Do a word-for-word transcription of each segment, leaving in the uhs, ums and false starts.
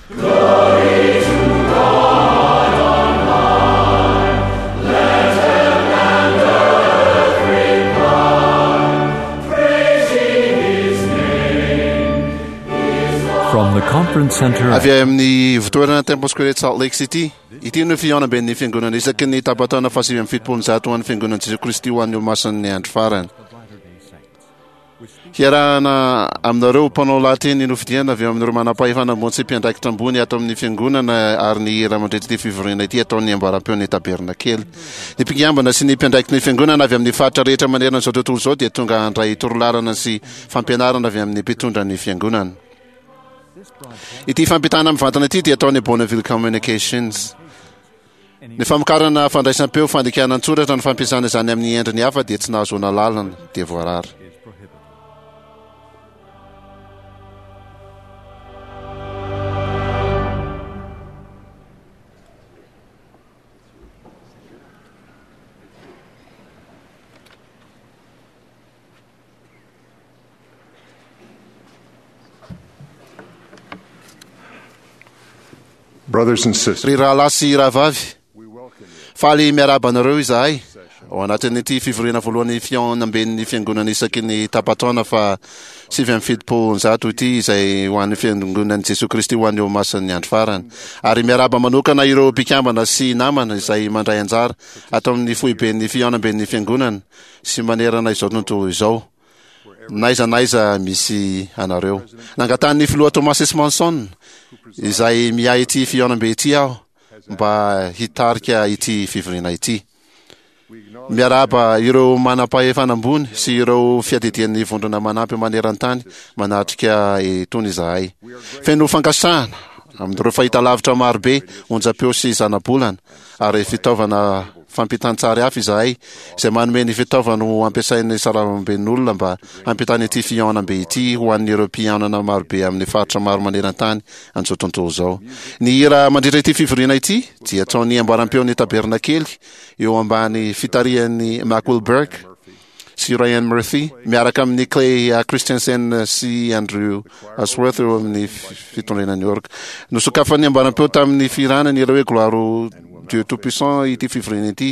From the conference center Avy amin'ny ivontoerana Temple Square eto Salt Lake City, ity no fihaonamben'ny fiangonana isaky ny tapa-taona fahasivy amby fitopolo amby zato ho an'ny fiangonan'i Jesoa Kristy ho an'ny Olomasin'ny Andro Farany. Hiarahana aminareo mpanao lahateny nofidiana avy amin'ireo manam-pahefana ambony sy mpiandraikitra ambony ato amin'ny fiangonana ary ny hira mandritra ity fivoriana ity ataon'ny ambaram-peon'ny tabernakely. Ny mpikambana sy ny mpiandraikitry ny fiangonana avy amin'ny faritra rehetra manerana izao tontolo izao dia tonga handray torolalana sy fampianarana avy amin'ny mpitondra ny fiangonana. Ity fampitana mivantana ity dia ataon'ny Bonneville Communications. Ny famokarana fandraisam-peo, fandikana an-tsoratra, ny fampiasana izany amin'ny endriny hafa dia tsy nahazoana alalana, dia voarara. Brothers and sisters, Ry rahalahy sy rahavavy, faly miarahaba anareo izahay ao anatin'ity fivoriana voalohany fihaonamben'ny fiangonana isaky ny tapa-taona fa sivy amby fitopolo zato ity izay ho an'ny fiangonan'i Jesoa Kristy ho an'ny Olomasin'ny Andro Farany. Ary miarahaba manokana ireo mpikambana sy namana izay mandray anjara ato amin'ny foiben'ny fihaonamben'ny fiangonana sy manerana izao tontolo izao, n'aiza n'aiza misy anareo. Nangatahan'ny filoha Thomas S. Monson, izay miahy ity fihaonambe ity aho, mba hitarika ity fivoriana ity. Miarahaba ireo manam-pahefana ambony sy ireo fiadidian'ny vondrona manampy maneran-tany manatrika itony izahay. Feno fankasitrahana amin'ireo fahitalavitra marobe, onjam-peo sy zanabolana ary fitaovana fampitan-tsary hafa izahay izay manome ny fitaovana ho ampiasain'ny sarambamben'olona mba hampitana ity fihaonambe ity ho an'ireo mpihaonana marobe amin'ny faritra maro maneran-tany an'izao tontolo izao. Ny hira mandritra ity fivoriana ity dia ataon'ny ambaram-peon'ny tabernakely eo ambany fitarihan'i Mack Wilberg sy Ryan Murphy miaraka amin'i Clay Christensen sy Andrew Ashworth eo amin'ny fitondrena ny orga. Nosokafan'ny ambaram-peo tamin'ny fihirana ny hira hoe Gloire au Dieu Tout-Puissant ity fivoriana ity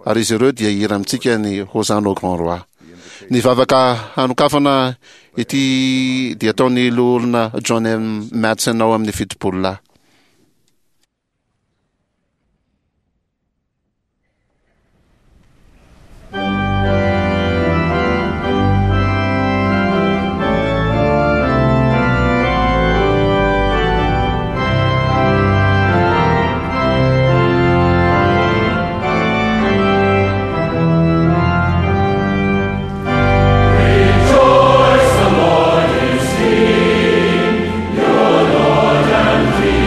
ary izy ireo dia hihira amintsika ny Hosanna au Grand Roi. Ny vavaka hanokafana ity dia ataon'ny loholona John M. Madsen ao amin'ny fitopolo lahy. Rejoice, the Lord is King, your Lord and King.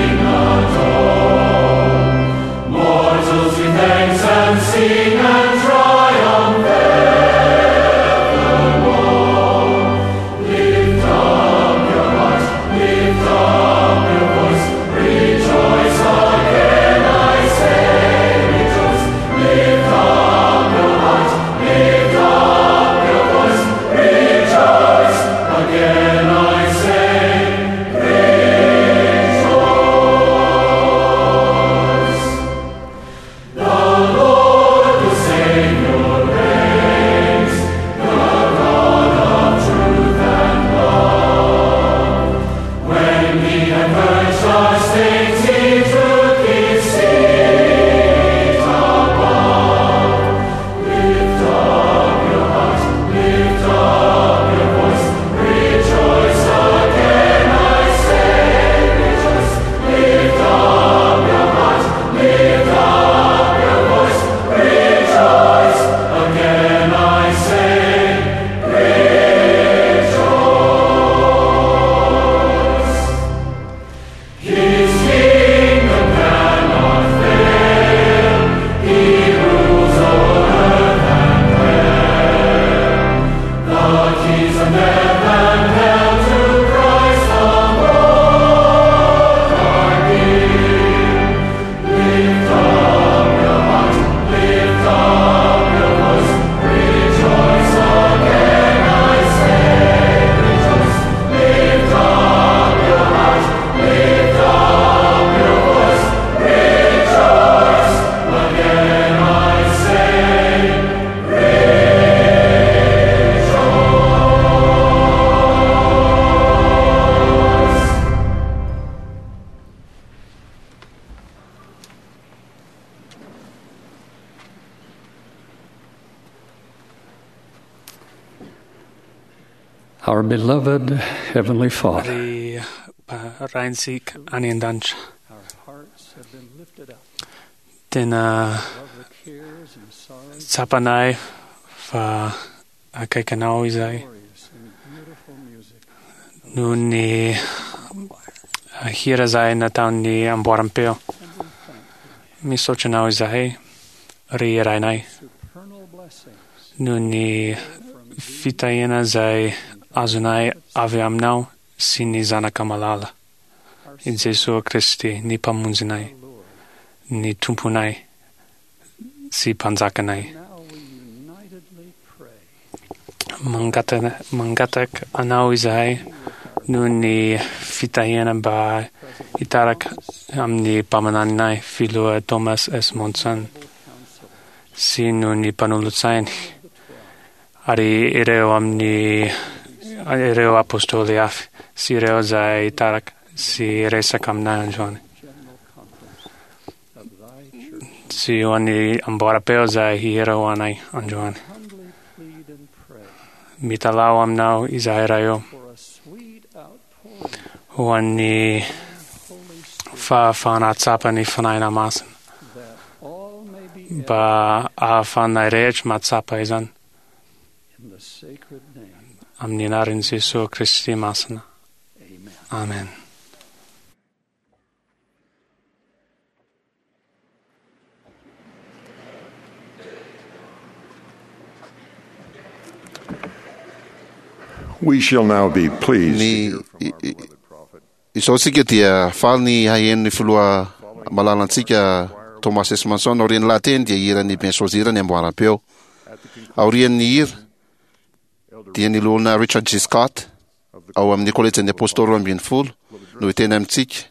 Our beloved Heavenly Father, Ry Raintsika any an-danitra, tena tsapanay fa akaiky anao izahay noho ny hira izay nataon'ny amboaram-peo. Misaotra anao izahay, ry Rainay, noho ny fitahiana izay azonay avy aminao sy ny Zanaka malala, i Jesoa Kristy, ny Mpamonjinay, ny Tomponay sy Mpanjakanay. Mangataka, mangataka anao izahay noho ny fitahiana mba hitaraka amin'ny mpaminaninay filoha Thomas S. Monson sy noho ny mpanolotsainy ary ireo amin'ny ireo apôstôly hafa sy ireo izay hitaraka sy resaka aminay androany sy ho an'ny amboaram-peo izay hihira ho anay androany. Mitalaho aminao izahay Ray ô, ho an'ny fahafahana hahatsapa ny Fanahy Masina mba ahafahanay rehetra mahatsapa izany amin'ny anaran'i Jesoa Kristy Masina. Amen. We shall now be pleased to Ny hear from our beloved prophet. izao tsika dia faly ny haheno ny filoha malalantsika Thomas S. Manson. Aorian'ny lahateny dia hiran'ny Bien Choisir ny amboaram-peo. Aorian'ny hira dia ny loholona Richard G. Scott ao amin'ny kolejin'ny apôstôly roa ambin'ny folo no hiteny amintsika,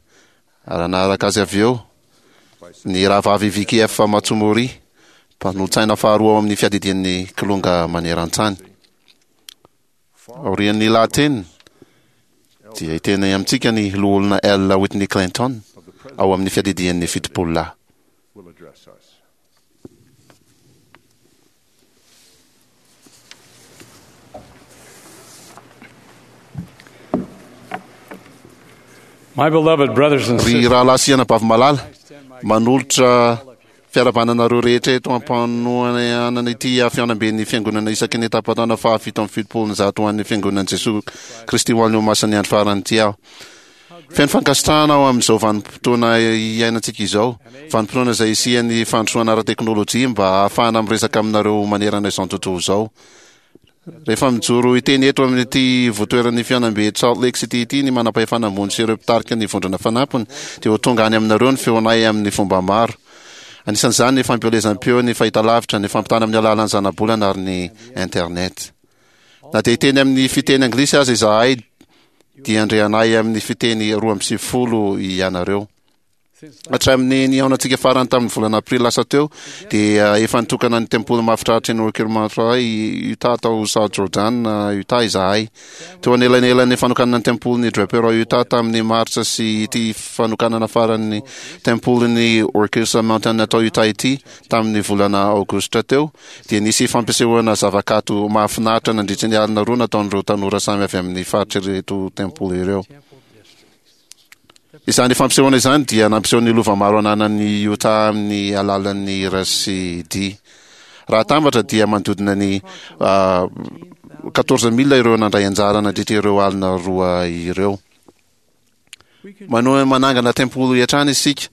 ary hanaraka azy avy eo ny rahavavy Vicky F. Matsumori, mpanolotsaina faharoa ao amin'ny fiadidian'ny kilonga maneran-tany. Aorian'ny lahateny dia hiteny amintsika ny loholona L. Whitney Clinton ao amin'ny fiadidian'ny fitopolo lahy. Will address us. My beloved brothers and Ry sisters, rahalahy sy anabavy malala, manolotra fiarahabananareo rehetra eto ampanoanana ity fihaonamben'ny fiangonana isaky ny tapataona fahafito amby fitopolo ny zato ho an'ny fiangonan'i Jesoa Kristy ho an'ny Olomasin'ny andro farany ity aho. Feno fankasitrahana aho amin'izao vanim-potoana iainantsika izao, vanim-potoana izay isian'ny fandrosoana ara-teknôlôjia mba hahafahana miresaka aminareo manerana izao tontolo izao. Rehefa mijoro hiteny eto amin'ity votoeran'ny fihaonambe Salt Lake City ity ny manam-pahefana ambony sy ireo mpitarika ny vondrona fanampiny, dia ho tonga any aminareo ny feonay amin'ny fomba maro. Anisan'izany ny fampielezam-peo, ny fahitalavitra, ny fampitana amin'ny alalan'ny zanabolana ary ny internet. Na dia hiteny amin'ny fiteny anglisy aza izahay, dia handre anay amin'ny fiteny roa amby sivifolo ianareo. Hatramin'ny nihaonantsika farany tamin'ny volana aprily lasa teo, dia efa nitokana ny tempoly mahafinaritra ny Orkirmantra Utah tao South Jordan, Utah izahay. Teo anelanelan'ny fanokanana ny tempolin'ny Draper ao Utah tamin'ny martsa sy ity fanokanana faran'ny tempolin'ny Orcus Mountain tao Utah ity tamin'ny volana aogositra teo, dia nisy fampisehoana zavakanto mahafinaritra nandritra ny alina roa nataon'ireo tanora samy avy amin'ny faritra ireto tempoly ireo. Izany fampisehoana izany dia nampiseho ny lova maro ananan'ny Utah amin'ny alalan'ny hira sy dihy. Raha atambatra dia manodidina ny quatorze mille ireo nandray anjara nandritra ireo alina roa ireo. Manohy manangana tempoly hatrany isika.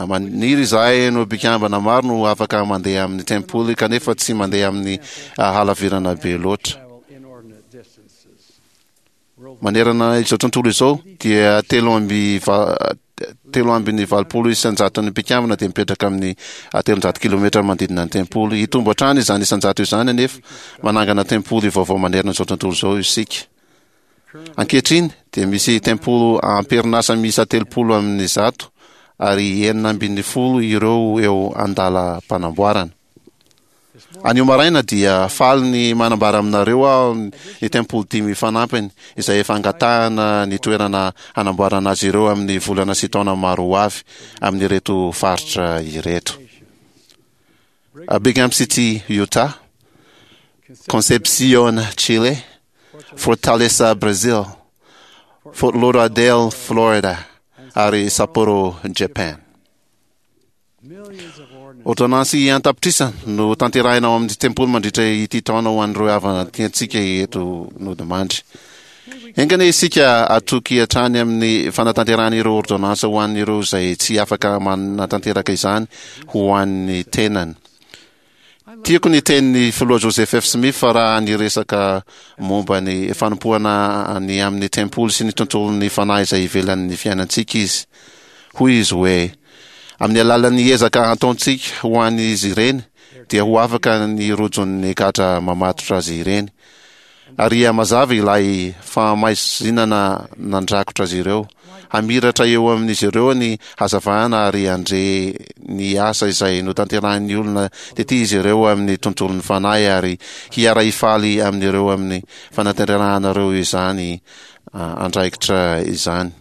Maniry izahay no mpikambana maro no afaka mandeha amin'ny tempoly kanefa tsy mandeha amin'ny halavirana be loatra. Manerana izao tontolo izao dia telo amby va-, telo ambin'ny valopolo isan-jaton'ny mpikambana dia mipetraka amin'ny telonjato kilometra manodidina ny tempoly. Hitombo hatrany izany isan-jato izany anefa manangana tempoly vaovao manerana izao tontolo izao isika. Ankehitriny dia misy tempoly am-perinasa miisa telopolo amin'ny zato ary enina ambin'ny folo ireo eo an-dalam-panamboarana. Anio maraina dia faly ny manambara aminareo aho ny tempoly dimy fanampiny izay efa angatahana ny toerana hanamboarana azy ireo amin'ny volana sy taona maro ho avy amin'ireto faritra ireto. Brigham City, Utah, Concepcion, Chile, Fortaleza, Brazil, Fort Lauderdale, Florida, ary Sapporo, Japan. Ordonnance an-tapitrisa no tanterahina ao amin'ny tempoly mandritra ity taona ho an'ireo havana tiantsika eto nodimandry. Engana isika atoky hatrany amin'ny fanatanterahana ireo ordonnance ho an'ireo izay tsy afaka manatanteraka izany ho an'ny tenany. Tiako ny tenin'ny filoha Joseph F. Smith fa raha niresaka momba ny fanompoana ny amin'ny tempoly sy ny tontolon'ny fanahy izay ivelan'ny fiainantsika izy. Hoy izy hoe: amin'ny alalan'ny ezaka ataontsika ho an'izy ireny dia ho afaka ny rojon'ny gadra mamatotra azy ireny, ary mazava ilay fahamaizinana nandrakotra azy ireo. Hamiratra eo amin'izy ireo ny hazavana ary handre ny asa izay notanterahin'ny olona tety izy ireo amin'ny tontolon'ny fanahy, ary hiara-hifaly amin'ireo amin'ny fanatanterahanareo izany andraikitra izany.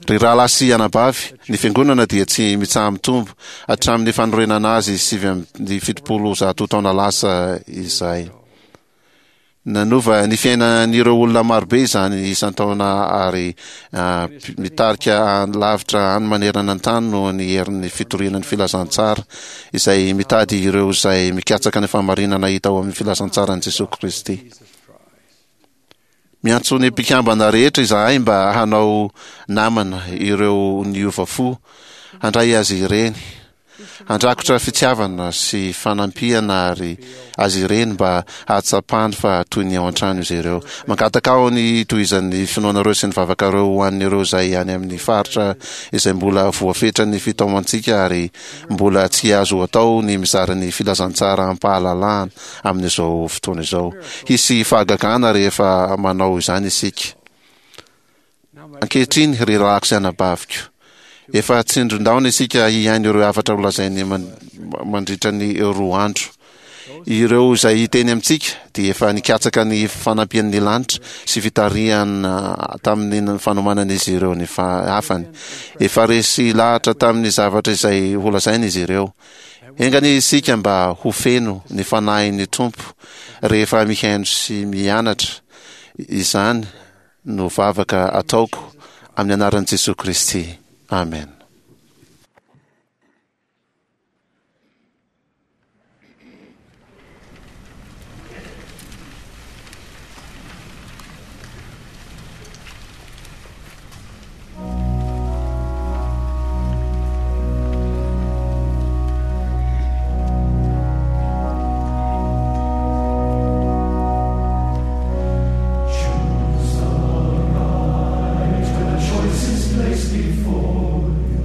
Ry rahalahy sy anabavy, ny fiangonana dia tsy mitsaha-mitombo hatramin'ny fanorenana azy sivy amby fitopolo zato taona lasa izay. Nanova ny fiainan'ireo olona marobe izany isan-taona ary mitarika lavitra any manerana ny tany noho ny herin'ny fitoriana ny filazantsara izay mitady ireo izay mikatsaka ny fahamarinana hita ao amin'ny filazantsaran'i Jesosy Kristy. Miantso ny mpikambana rehetra izahay mba hanao namana ireo niova fo, handray azy ireny, handrakotra fitiavana sy fanampiana ary azy ireny mba hahatsapany fa toy ny ao an-trano izy ireo. Mangataka aho ny tohizan'ny finoanareo sy ny vavakareo ho an'ireo izay any amin'ny faritra izay mbola voafetra ny fitaomantsika ary mbola tsy azo atao ny mizara ny filazantsara am-pahalalahana amin'izao fotoana izao. Hisy fahagagana rehefa manao izany isika. Ankehitriny, ry rahalahiko sy anabaviko, efa tsindrin-daona isika hihaino ireo hafatra holazainy mandritra ny roa andro. Ireo izay hiteny amintsika dia efa nikatsaka ny fanampian'ny lanitra sy fitarihana tamin'ny fanomanan'izy ireo ny hafany. Efa resy lahatra tamin'ny zavatra izay holazainy izy ireo. Enganie isika mba ho feno ny fanahin'ny Tompo rehefa mihaino sy mianatra. Izany no vavaka ataoko amin'ny anaran'i Jesosy Kristy. Amen. Choose the right when a choice is placed before you.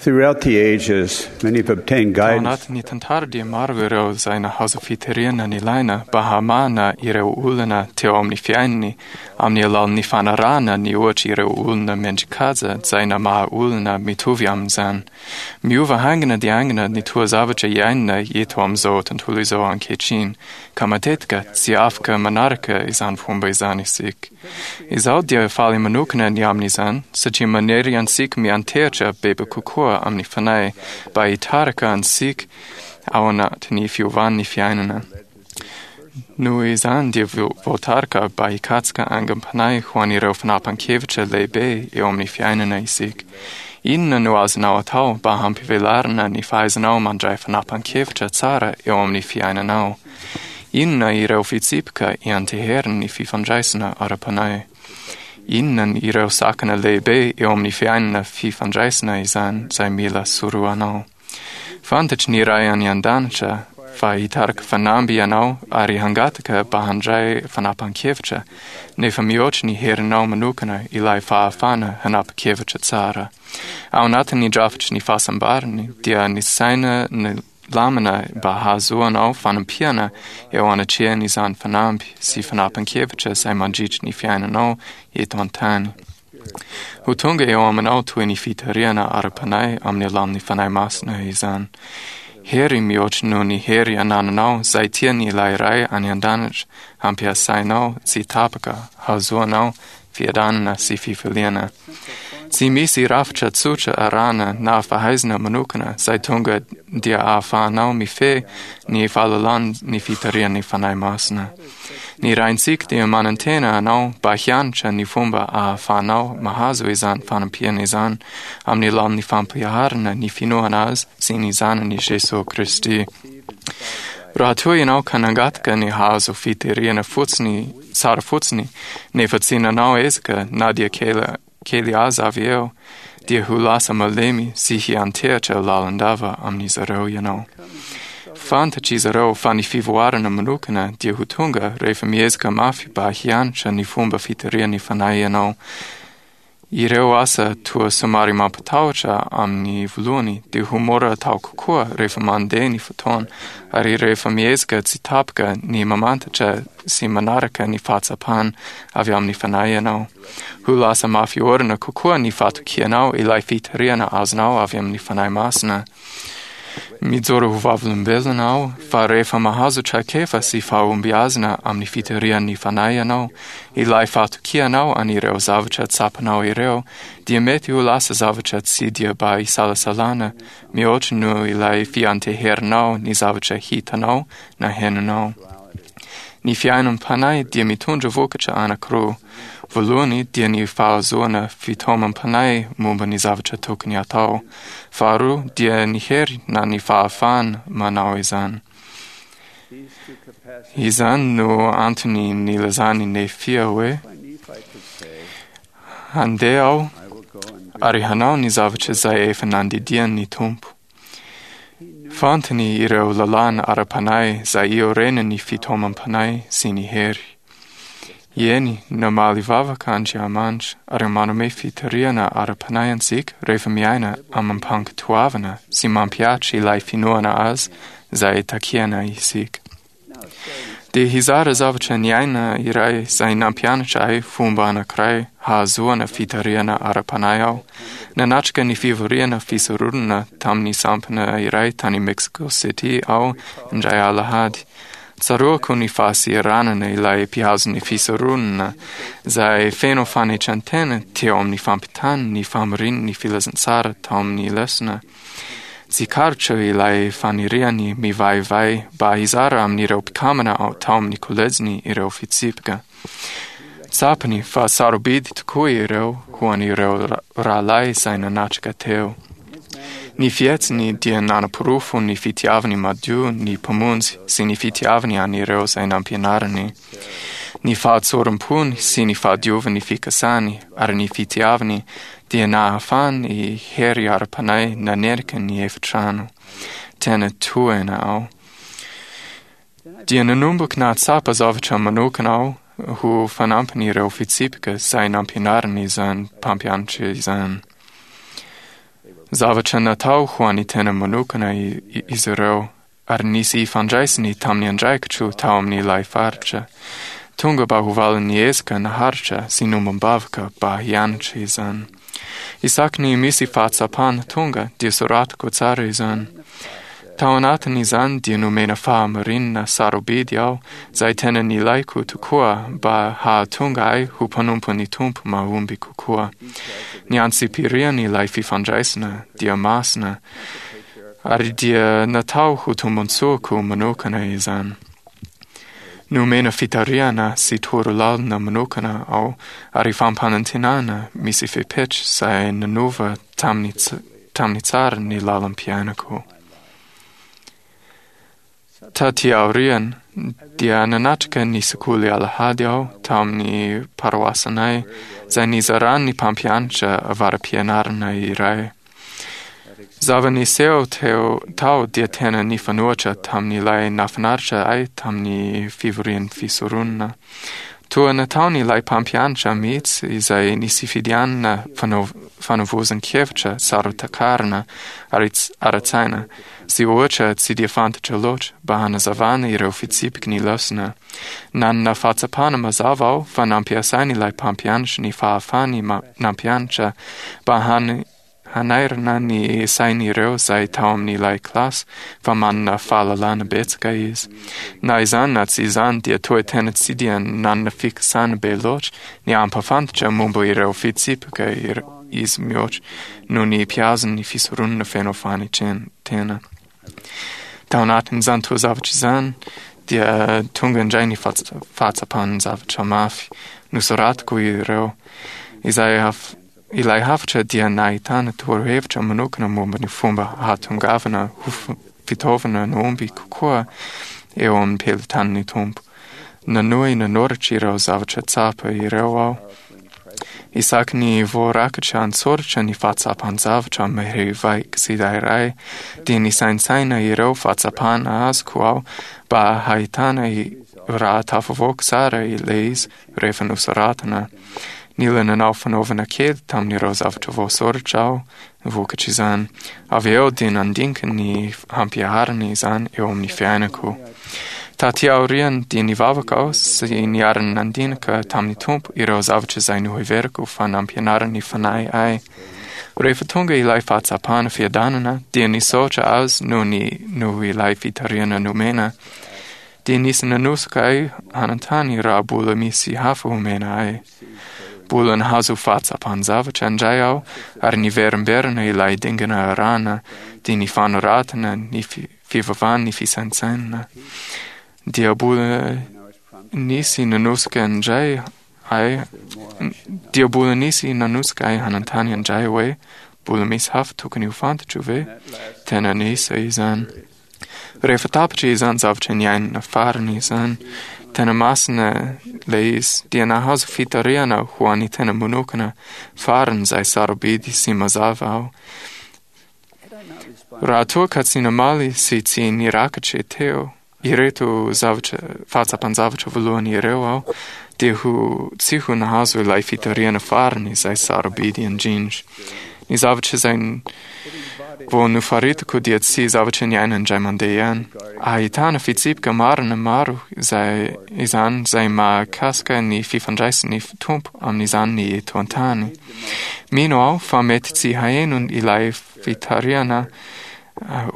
Throughout the ages, many have obtained Tao guidance anatin'ny tantara dia maro ireo izay nahazo fitarihana nilaina mba hamahana ireo olana teo amin'ny fiainany amin'ny alalan'ny fanarahana ny ohatra ireo olona mendrikaja izay namaha olona mitovy amin'izany. Miova haingana dia haingana ny toa zavatra iainana eto amin'izao tontolo izao ankehitriny, ka matetika tsy afaka manaraka izany fomba izany isika. Izaho dia faly manokana ny amin'izany satria manery antsika miantehitra bebe kokoa amin'ny fanahy mba hitarika antsika ao anatin'ny fiovan'ny fiainana. Noho izany dia vo- voatarika mba hikatsaka aingam-panahy ho an'ireo fanapahan-kevitra lehibe eo amin'ny fiainana isika. Inona no azonao atao mba hampivelarana ny fahaizanao mandray fanapahan-kevitra tsara eo amin'ny fiainanao? Inona ireo fitsipika ianteheran'ny fifandraisana ara-panahy? Inona ireo sakana lehibe eo amin'ny fiainana fifandraisana izany izay mila sorohanao? Fantatry ny Ray any an-danitra fa hitarika fanamby ianao ary hangataka mba handray fanapahan-kevitra, nefa mihoatra ny herinao manokana ilay fahafahana hanapa-kevitra tsara. Ao anatin'ny drafitry ny fahasambarany dia ny saina ny lamina mba hahazoanao fanampiana eo anatrehan'izany fanamby sy fanapahan-kevitra izay mandritry ny fiainanao eto an-tany. Ho tonga eo aminao toy ny fitarihana ara-panahy amin'ny alalan'ny Fanahy Masina izany. Hery mihoatra noho ny hery anananao izay tiany ilay Ray any an-danitra hampiasainao tsy tapaka hahazoanao fiadanana sy fifaliana. Tsy misy rafitra tsotra arahana na fahaizana manokana izay tonga dia ahafahanao mifehy ny fahalalan'ny fitarihan'ny Fanahy Masina. Ny Raintsika dia manantena anao mba hianatra ny fomba ahafahanao mahazo izany fanampiana izany amin'ny alalan'ny fampiharana ny finoana azy sy ny Zanany Jesoa Kristy. Raha toa ianao ka nangataka ny hahazo fitarihana fotsiny tsara fotsiny nefa tsy nanao ezaka na dia kely kely aza avy eo, dia ho lasa malemy sy hiantehitra lalandava amin'izy ireo ianao. Fantatr'izy ireo fa ny fivoarana manokana dia ho tonga rehefa miezaka mafy mba hianatra ny fomba fitarihan'ny fanahy ianao. Ireo asa toa somary mampatahotra amin'ny voalohany dia ho mora atao kokoa rehefa mandeha ny fotoana ary rehefa miezaka tsy tapaka ny mamantatra sy manaraka ny fahatsapana avy amin'ny fanahy ianao. Ho lasa mafy orina kokoa ny fatokianao ilay fitarihana azonao avy amin'ny Fanahy Masina. Mijoro ho vavolombelona aho fa rehefa mahazo traikefa sy fahombiazana amin'ny fitarihan'ny fanahy ianao, ilay fatokianao an'ireo zavatra tsapanao ireo dia mety ho lasa zavatra tsy dia mba isalasalana mihoatra noho ilay fianteherinao ny zavatra hitanao na henonao. Ny fiainam-panahy dia mitondra vokatra anankiroa. Voalohany dia ny fahazoana fitaomam-panahy momba ny zavatra tokony atao. Faharoa dia ny hery na ny fahafahana manao izany. Izany no antony nilazan'i Nefia hoe handeha aho ary hanao ny zavatra izay efa nandidian'ny Tompo. Fantany ireo lalàna ara-panahy izay iorenan'ny fitaomam-panahy sy ny hery. Eny, namaly vavaka Andriamanitra ary manome fitarihana ara-panahy antsika rehefa miaina amim-pankatoavana sy mampihatra ilay finoana azy izay takiana isika. Dia hizara zavatra niaina iray izay nampianatra ahy fomba anankiray hahazoana fitarihana ara-panahy aho. Nanatrika ny fivoriana fisoronana tamin'ny sampana iray tany Mexico City aho indray alahady. Tsaroako ny fahasiranana ilay mpihazo ny fisoronana izay feno fanetren-tena teo amin'ny fampitany ny famorian'ny filazantsara tao amin'ny lesona. Tsikaritra ilay faniriany mivaivay mba hizara amin'ireo mpikambana ao tao amin'ny kolejiny ireo fitsipika. Tsapany fa sarobidy tokoa ireo ho an'ireo ra- rahalahy izay nanatrika teo. Ny fihetsiny dia nanaporofo ny fitiavany madio ny Mpamonjy sy ny fitiavany an'ireo izay nampianariny. Ny fahatsoram-pony sy ny fahadiovan'ny fikasany ary ny fitiavany dia nahafahany hery ara-panahy nanerika ny efitrano. Tena tohina aho. Dia nanomboka nahatsapa zavatra manokana aho ho fanampin'ireo fitsipika izay nampianariny izany mpampianatra izany. Zavatra natao ho an'ny tena manokana izy ireo, ary nisy ifandraisany tamin'ny andraikitro tao amin'ilay faritra. Tonga mba ho valin'ny ezaka naharitra sy nombam-bavaka mba hianatra izany. Isaky ny misy fahatsapana tonga dia soratako tsara izany. Tao anatin'izany dia nomena fahamarinana sarobidy aho izay tena nilaiko tokoa mba hahatonga ahy ho mpanompon'ny Tompo mahomby kokoa. Ny antsipirian'ilay fifandraisana dia masina, ary dia natao ho tombontsoako manokana izany. Nomena fitarihana sy torolalana manokana aho ary fampanantenana misy fepetra izay nanova tamin'ny tamin'ny tsara ny lalam-piainako. Taty aoriana dia nanatrika ny sekoly alahady aho tamin'ny paroasanay izay nizaran'ny mpampianatra avara-pianarana iray. Zava-niseho teo tao dia tena nifanohitra tamin'ilay nahafinaritra ahy tamin'ny fivorian'ny fisoronana. Toa nataon'ilay mpampianatra mihitsy izay nisifidianana fanovozan-kevitra saro-takarina ary ara-tsaina sy ohatra tsy dia fantatra loatra mba hanazavana ireo fitsipiky ny lesona. Nanana fahatsapana mazava aho fa nampiasain'ilay mpampianatra ny fahafahany nampianatra mba han hanairana ny sain'ireo izay tao amin'ilay kilasy fa manana fahalalana betsaka izy. Na izany na tsy izany dia toa tena tsy dia nanana fikasana be loatra ny hampahafantatra momba ireo fitsipika izy mihoatra noho ny mpiazon'ny fisoronana feno fanetren-tena. Tao anatin'izany toa zavatra izany dia tonga indray ny fahatsapan'ny zavatra mafy nosoratako ireo izay ilay hafatra dia nahitana torohevitra manokana momba ny fomba hahatongavana ho fitaovana nahomby kokoa eo amin'ny pelotan'ny Tompo. Nanohy nanoratra ireo zavatra tsapa ireo aho. Isaky ny voarakitra an-tsoratra ny fahatsapan-javatra mahery vaika tsirairay dia nisaintsaina ireo fahatsapana azoko aho mba hahitana raha tafavoaka tsara ilay izy rehefa nosoratana. Nila nanao fanaovana kely tamin'ireo zavatra voasoratra aho vokatr'izany. Avy eo dia nandinika ny hampiharana izany eo amin'ny fiainako. Taty aoriana dia nivavaka aho sy niara-nandinika tamin'ny Tompo ireo zavatra izay noheveriko fa nampianarin'ny Fanahy ahy. Rehefa tonga ilay fahatsapana fiadanana dia nisaotra azy noho ny noho ilay fitarihana nomena. Dia nisy nanosika ahy hanontany raha mbola misy hafa omena ahy. Mbola nahazo fahatsapan-javatra indray aho ary niverimberina ilay dingana arahana dia ny fanoratana, ny fivavahana, ny fisaintsainana. Dia mbola nisy nanosika indray ahy dia mbola nisy nanosika ahy hanontany indray hoe mbola misy hafa tokony ho fantatro ve? Tena nisy izany. Rehefa tapitra izany zavatra niainana farany izany, tena masina ilay izy dia nahazo fitarihana ho an'ny tena manokana farany izay sarobidy sy mazava aho. Raha toa ka tsy namaly sy tsy nirakitra teo ireto zavatra fahatsapan-javatra voalohany ireo aho dia ho tsy ho nahazo ilay fitarihana farany izay sarobidy indrindra. Ny zavatra izay vao nofaritako dia tsy zavatra niainana indray mandeha ihany. Ahitana fitsipika marina maro izay izany izay mahakasika ny fifandraisan'ny Tompo amin'izany ny eto an-tany. Mino aho fa mety tsy haheno ilay fitarihana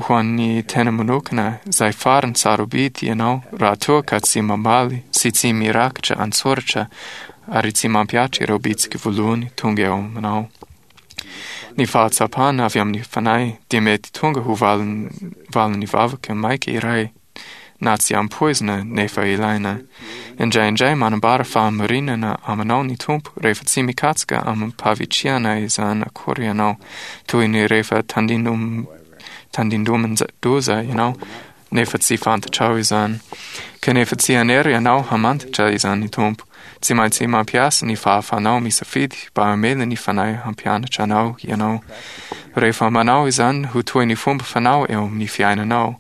ho an'ny tena manokana izay farany sarobidy ianao raha toa ka tsy mamaly sy tsy mirakitra an-tsoratra ary tsy mampihatra ireo bitsika voalohany tonga eo aminao. Ny fahatsapana avy amin'ny Fanahy dia mety tonga ho valin'ny vavaka maika iray na tsy ampoizina nefa ilaina. Indraindray manambara fahamarinana aminao ny Tompo rehefa tsy mikatsaka amim-pahavitrihana izany akory ianao, toy ny rehefa tandindom tandindomin-doza ianao nefa tsy fantatrao izany. Kanefa tsy hanery ianao hamantatra izany ny Tompo. Tsy maintsy mampiasa ny fahafanao misafidy mba hamela ny Fanahy hampianatra anao ianao. Rehefa manao izany ho toy ny fomba fanao eo amin'ny fiainanao,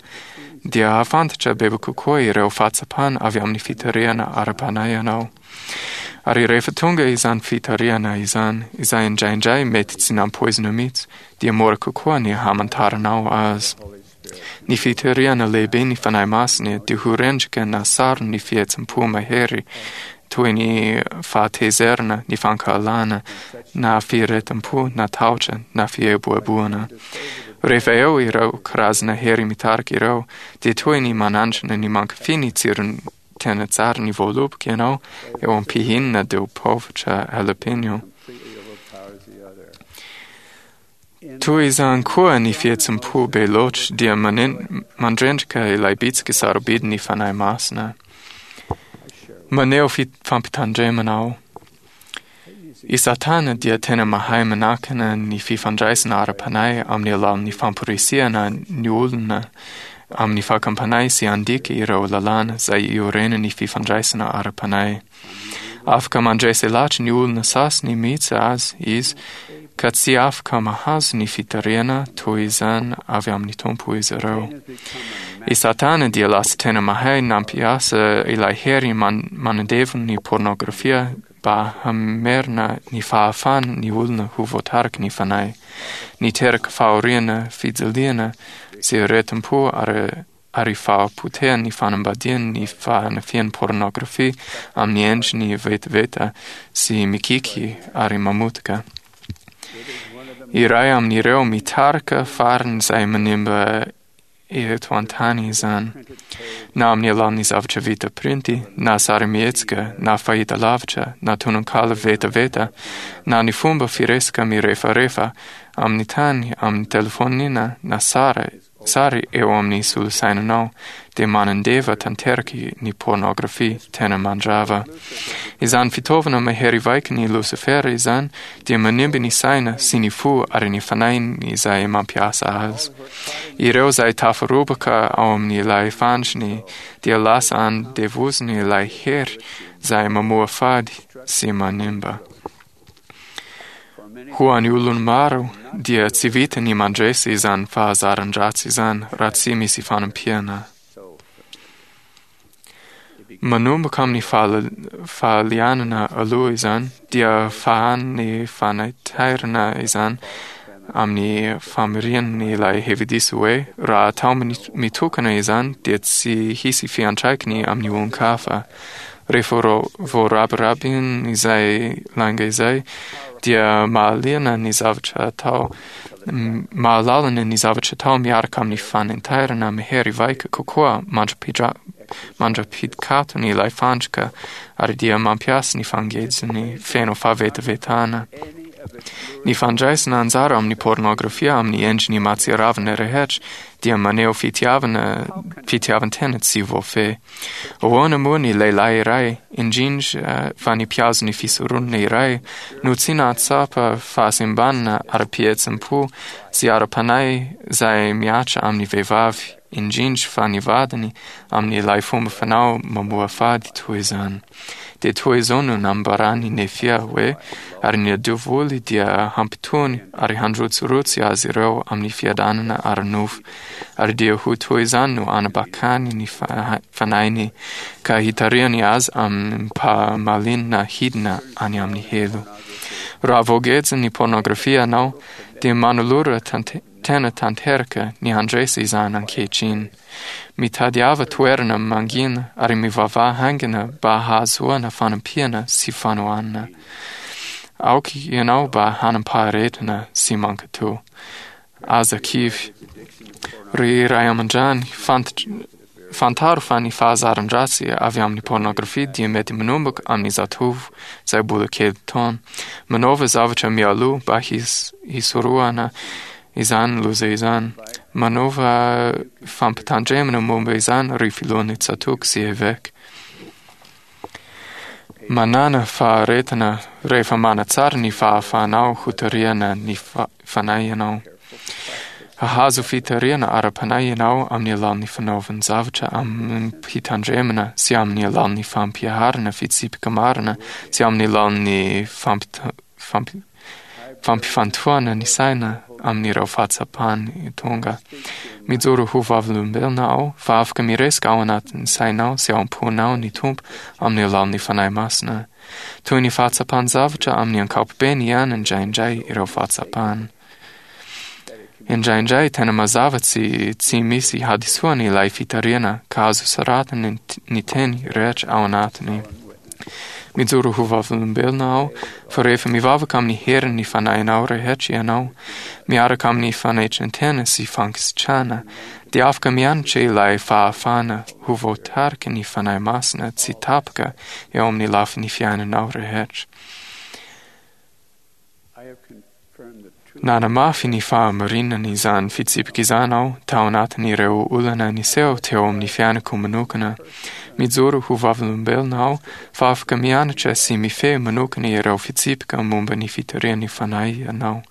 dia hahafantatra bebe kokoa ireo fahatsapana avy amin'ny fitarihana ara-panahy ianao. Ary rehefa tonga izany fitarihana izany, izay indraindray mety tsy nampoizina mihitsy, dia mora kokoa ny hamantaranao azy. Ny fitarihana lehibe ny Fanahy Masina dia ho rendrika na sary ny fihetsem-po mahery toy ny fahatezerana, ny fankahalana, na firehetam-po, na tahotra, na fieboeboana. Rehefa eo ireo karazana hery mitarika ireo, dia toy ny manandrana ny mankafy ny tsirony tena tsara ny voaloboka ianao eo am-pihinana dia ho paovitra jalapeno. Toy izany koa ny fihetsem-po be loatra dia manen- mandrendrika ilay bitsika sarobidy ny Fanahy Masina. Maneho fi- fampitandremana aho. I Satana dia tena mahay manakana ny fifandraisana ara-panahy amin'ny alalan'ny famporisihana ny olona amin'ny fakam-panahy sy handika ireo lalàna izay iorenan'ny fifandraisana ara-panahy. Afaka mandresy lahatra ny olona sasany mihitsy azy izy ka tsy afaka mahazo ny fitarihana toy izany avy amin'ny Tompo izy ireo. I Satana dia lasa tena mahay nampiasa ilay hery man- manandevo ny pornografia mba hamerina ny fahafahany ny olona ho voatariky ny fanahy. Niteraka fahoriana, fijaliana sy aretim-po ary ary fahapotehan'ny fanambadiany ny fanafihan'ny pornografia amin'ny endriny vetaveta sy mikiky ary mamotika. Iray amin'ireo mitarika farany izay manimba eto an-tany izany, na amin'ny alalan'ny zavatra vita printy, na sarimihetsika, na fahitalavitra, na tononkalo vetaveta, na ny fomba firesaka mirefarefa amin'ny tany, amin'ny telefaonina, na sary, sary eo amin'ny solosainanao, dia manandeva tanteraka ny pornografia tena mandrava. Izany fitaovana mahery vaika ny Losifera izany dia manimba ny saina sy ny fo ary ny fanahiny izay mampiasa azy. Ireo izay tafarobaka ao amin'ilay fandriny dia lasa andevoziny ilay hery izay mamoa fady sy manimba. Ho an'ny olona maro dia tsy vita ny mandresy izany fahazaran-dratsy izany raha tsy misy fanampiana. Manomboka amin'ny fahala- fahalianana aloha izany dia fahan'ny fanaitairana izany amin'ny famiriany ilay hevi-diso hoe raha atao mini- mitokana izany dia tsy hisy fiantraikany amin'ny olon-kafa. Rehefa ro- voarabirabiny izay lainga izay dia mahaliana ny zavatra atao m- mahalalana ny zavatra atao miaraka amin'ny fanaintairana mahery vaika kokoa mandra-pidra- mandra-pidikatony ilay fandrika ary dia mampiasa ny fangejiny feno fahavetavetana. Ny fandraisana anjara amin'ny pornografia amin'ny endriny mahatsiravina rehetra dia maneho fitiavana fitiavan-tena tsy voafehy. Ahoana moa ny lehilahy iray, indrindra fa ny mpihazo ny fisoronana iray, no tsy nahatsapa fahasembanana ara-pihetsem-po sy ara-panahy izay mihatra amin'ny vehivavy, indrindra fa ny vadiny amin'ilay fomba fanao mamoafady toy izany. Dia toy izao no nambaran'i Nefia hoe ary ny devoly dia hampitony ary handrotsirotsy azy ireo amin'ny fiadanana ara-nofo. Ary dia ho toy izany no anabakany ny fa- fanahiny ka hitarihany azy amim-pahamalinana hidina any amin'ny helo. Raha voageja ny pornografia anao, dia manolora tante- tena tanteraka ny handresy izany ankehitriny. Mitadiava toerana mangina ary mivavaha haingana mba hahazoana fanampiana sy fanohanana. Aoka ianao mba hanam-paharetana sy mankatò. Aza kivy. Ry ray aman-drany, fantatra fantaro fa ny fahazaran-dratsy avy amin'ny pornografia dia mety manomboka amin'ny zatovo izay mbola kely taona. Manaova zavatra mialoha mba his- hisorohana izany loza izany. Manaova fampitandremana momba izany ry filohan'ny tsatòka sy eveka. Manana faharetana rehefa manatsara ny fahafahanao hotarihana ny fa- fanahinao. Hahazo fitarihana ara-panahy ianao amin'ny alalan'ny fanaovan-javatra amim-pitandremana sy amin'ny alalan'ny fampiharana fitsipika marina sy amin'ny alalan'ny fampita- fampi- fampifantohana ny saina amin'ireo fahatsapany tonga. Mijoro ho vavolombelona aho fa afaka miresaka ao anatin'ny sainao sy ao am-ponao ny Tompo amin'ny alalan'ny Fanahy Masina. Toy ny fahatsapan-javatra amin'ny ankapobeny ihany indraindray ireo fahatsapana. Indraindray tena mazava tsy tsy misy hadisoana ilay fitarihana ka azo soratana ny teny rehetra ao anatiny. Mijoro ho vavolombelona aho fa rehefa mivavaka amin'ny herin'ny fanahinao rehetra ianao, miaraka amin'ny fanetren-tena sy fankasitrahana, dia afaka mianatra ilay fahafahana ho voatariky ny Fanahy Masina tsy tapaka eo amin'ny lafin'ny fiainanao rehetra. Nanamafy ny fahamarinan'izany fitsipika izany aho tao anatin'ireo olana niseho teo amin'ny fiainako manokana. Mijoro ho vavolombelona aho fa afaka mianatra sy mifehy manokana ireo fitsipika momba ny fitarihan'ny Fanahy ianao.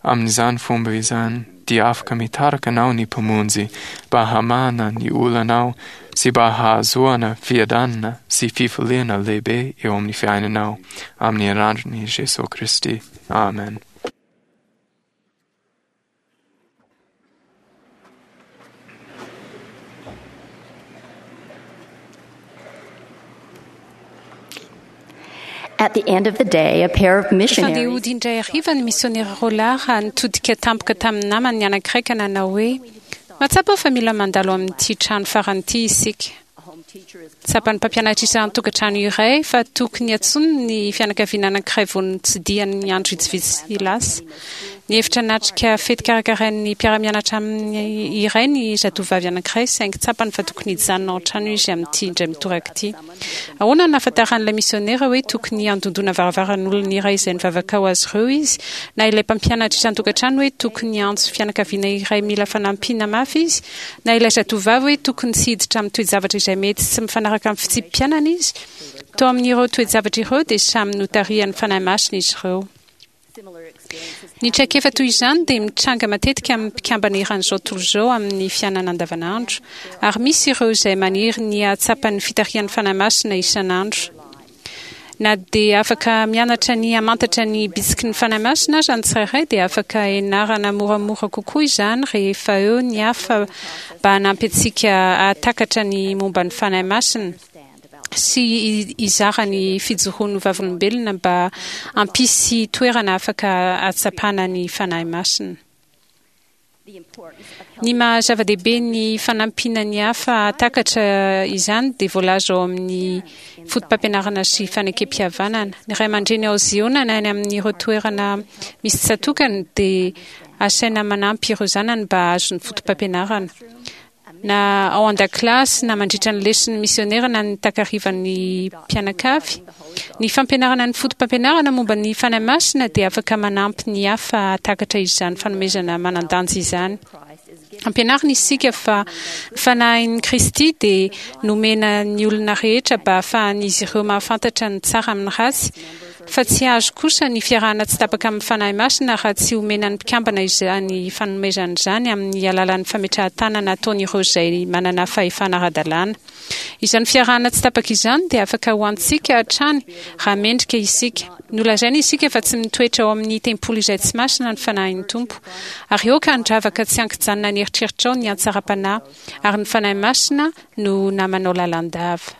Amin'izany fomba izany dia afaka mitarika anao ny Mpamonjy mba hamahana ny olanao sy mba hahazoana fiadanana sy fifaliana lehibe eo amin'ny fiainanao. Amin'ny anaran'i Jesoa Kristy. Amen. At the end of the day, a pair of Efa andeha missionaries hody indray hariva ny misionera roa lahy raha nitodika tampoka tamin'ny namany ny anankiray ka nanao hoe mahatsapa aho fa mila mandalo amin'ity trano farany ity isika. Tsapan'ny mpampianatra isan-tokantrano iray fa tokony antsoiny ny fianakaviana anankiray vao notsidihany andro vitsivitsy lasa. Nihevitra hanatrika fety karakarain'ny mpiara-mianatra aminy iray ny zatovavy anankiray saingy tsapany fa tokony hijanona ao an-trano izy amin'ity indray mitoraka ity. Ahoana no nahafantaran'ilay misionera hoe tokony handondona varavaran'olona iray izay nivavaka ho azy ireo izy, na ilay mpampianatra isan-tokantrano hoe tokony hiantso fianakaviana iray mila fanampiana mafy izy, na ilay zatovavy hoe tokony tsy hiditra amin'ny toe-javatra izay mety tsy mifanaraka amin'ny fitsipi-piainana izy? Tao amin'ireo toe-javatra ireo dia samy notarihan'ny Fanahy Masina izy ireo. Ny traikefa toy izany dia mitranga matetika amin'ny mpikambana eran'izao tontolo izao amin'ny fiainana andavanandro, ary misy ireo izay maniry ny hahatsapan'ny fitarihan'ny Fanahy Masina isan'andro. Na dia afaka mianatra ny hamantatra ny bitsiky ny Fanahy Masina aza ny tsirairay dia afaka ianarana moramora kokoa izany rehefa eo ny hafa mba hanampy antsika hahatakatra ny momba ny Fanahy Masina sy hizara ny fijoroan'ny vavolombelona mba hampisy toerana afaka hahatsapana ny Fanahy Masina. Ny maha zava-dehibe ny fanampiana ny hafa hahatakatra izany dia voalaza ao amin'ny fotopampianarana sy fanekem-pihavanana. Ny ray aman-dreny ao Ziona na any amin'ireo toerana misy tsatokany dia asaina manampy ireo zanany mba hahazo ny fotopampianarana. Na ao an-dakilasy na mandritra ny leson'ny misionera na ny takarivan'ny mpianakavy. Ny fampianarana ny fotopampianarana momba ny Fanahy Masina dia afaka manampy ny hafa hahatakatra izany fanomezana manan-danja izany. Ampianarina isika fa ny Fanahin'i Kristy dia nomena ny olona rehetra mba hahafahan'izy ireo mahafantatra ny tsara amin'ny ratsy, fa tsy azo kosa ny fiarahana tsy tapaka amin'ny Fanahy Masina raha tsy omena ny mpikambana izany fanomezana izany amin'ny alalan'ny fametrahan-tanana ataon'ireo izay manana fahefana ara-dalàna. Izany fiarahana tsy tapaka izany dia afaka ho antsika hatrany raha mendrika isika. Nolazaina isika fa tsy mitoetra ao amin'ny tempoly izay tsy masina ny Fanahin'ny Tompo. Ary aoka handravaka tsy ankijanona ny eritreritrao ny hatsaram-panahy, ary ny Fanahy Masina no namanao lalandava.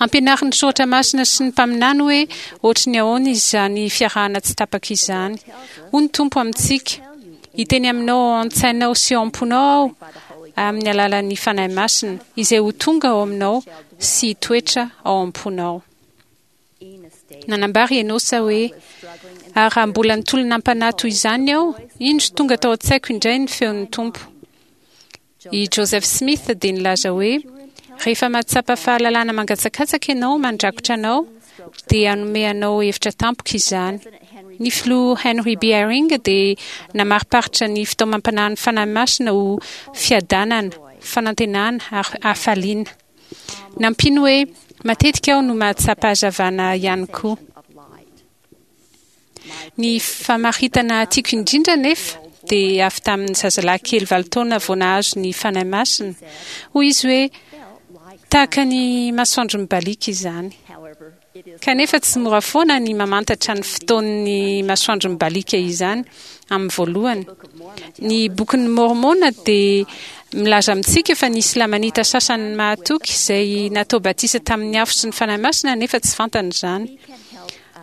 Ampianarin'ny Soratra Masina sy ny mpaminany hoe ohatry ny ahoana izany fiarahana tsy tapaka izany. Hoy ny Tompo amintsika, hiteny aminao ao an-tsainao sy ao am-ponao aho amin'ny alalan'ny Fanahy Masina, izay ho tonga ao aminao sy hitoetra ao am-ponao. Nanambara i Enosa hoe, ary raha mbola nitolona am-panahy toy izany aho, indro tonga tao an-tsaiko indray ny feon'ny Tompo. I Joseph Smith dia nilaza hoe, rehefa mahatsapa fahalalana mangatsakatsaka ianao mandrakotra anao, dia hanome anao hevitra tampoka izany. Ny filoha Henry B. Eyring dia namariparitra ny fitaomam-panahin'ny Fanahy Masina ho fiadanana, fanantenana ary hafaliana. Nampiany hoe, matetika aho no mahatsapa hazavana ihany koa. Ny famaritana tiako indrindra nefa dia avy tamin'ny zazalahy kely valo taona vao nahazo ny Fanahy Masina. Hoy izy hoe, tahaka ny masoandro mibaliaka izany. Kanefa tsy mora foana ny mamantatra ny fotoan'ny masoandro mibaliaka izany amin'ny voalohany. Ny bokin'ny Mormona dia milaza amintsika fa nisy Lamanita sasany mahatoky izay natao batisa tamin'ny afo sy ny Fanahy Masina, nefa tsy fantany izany.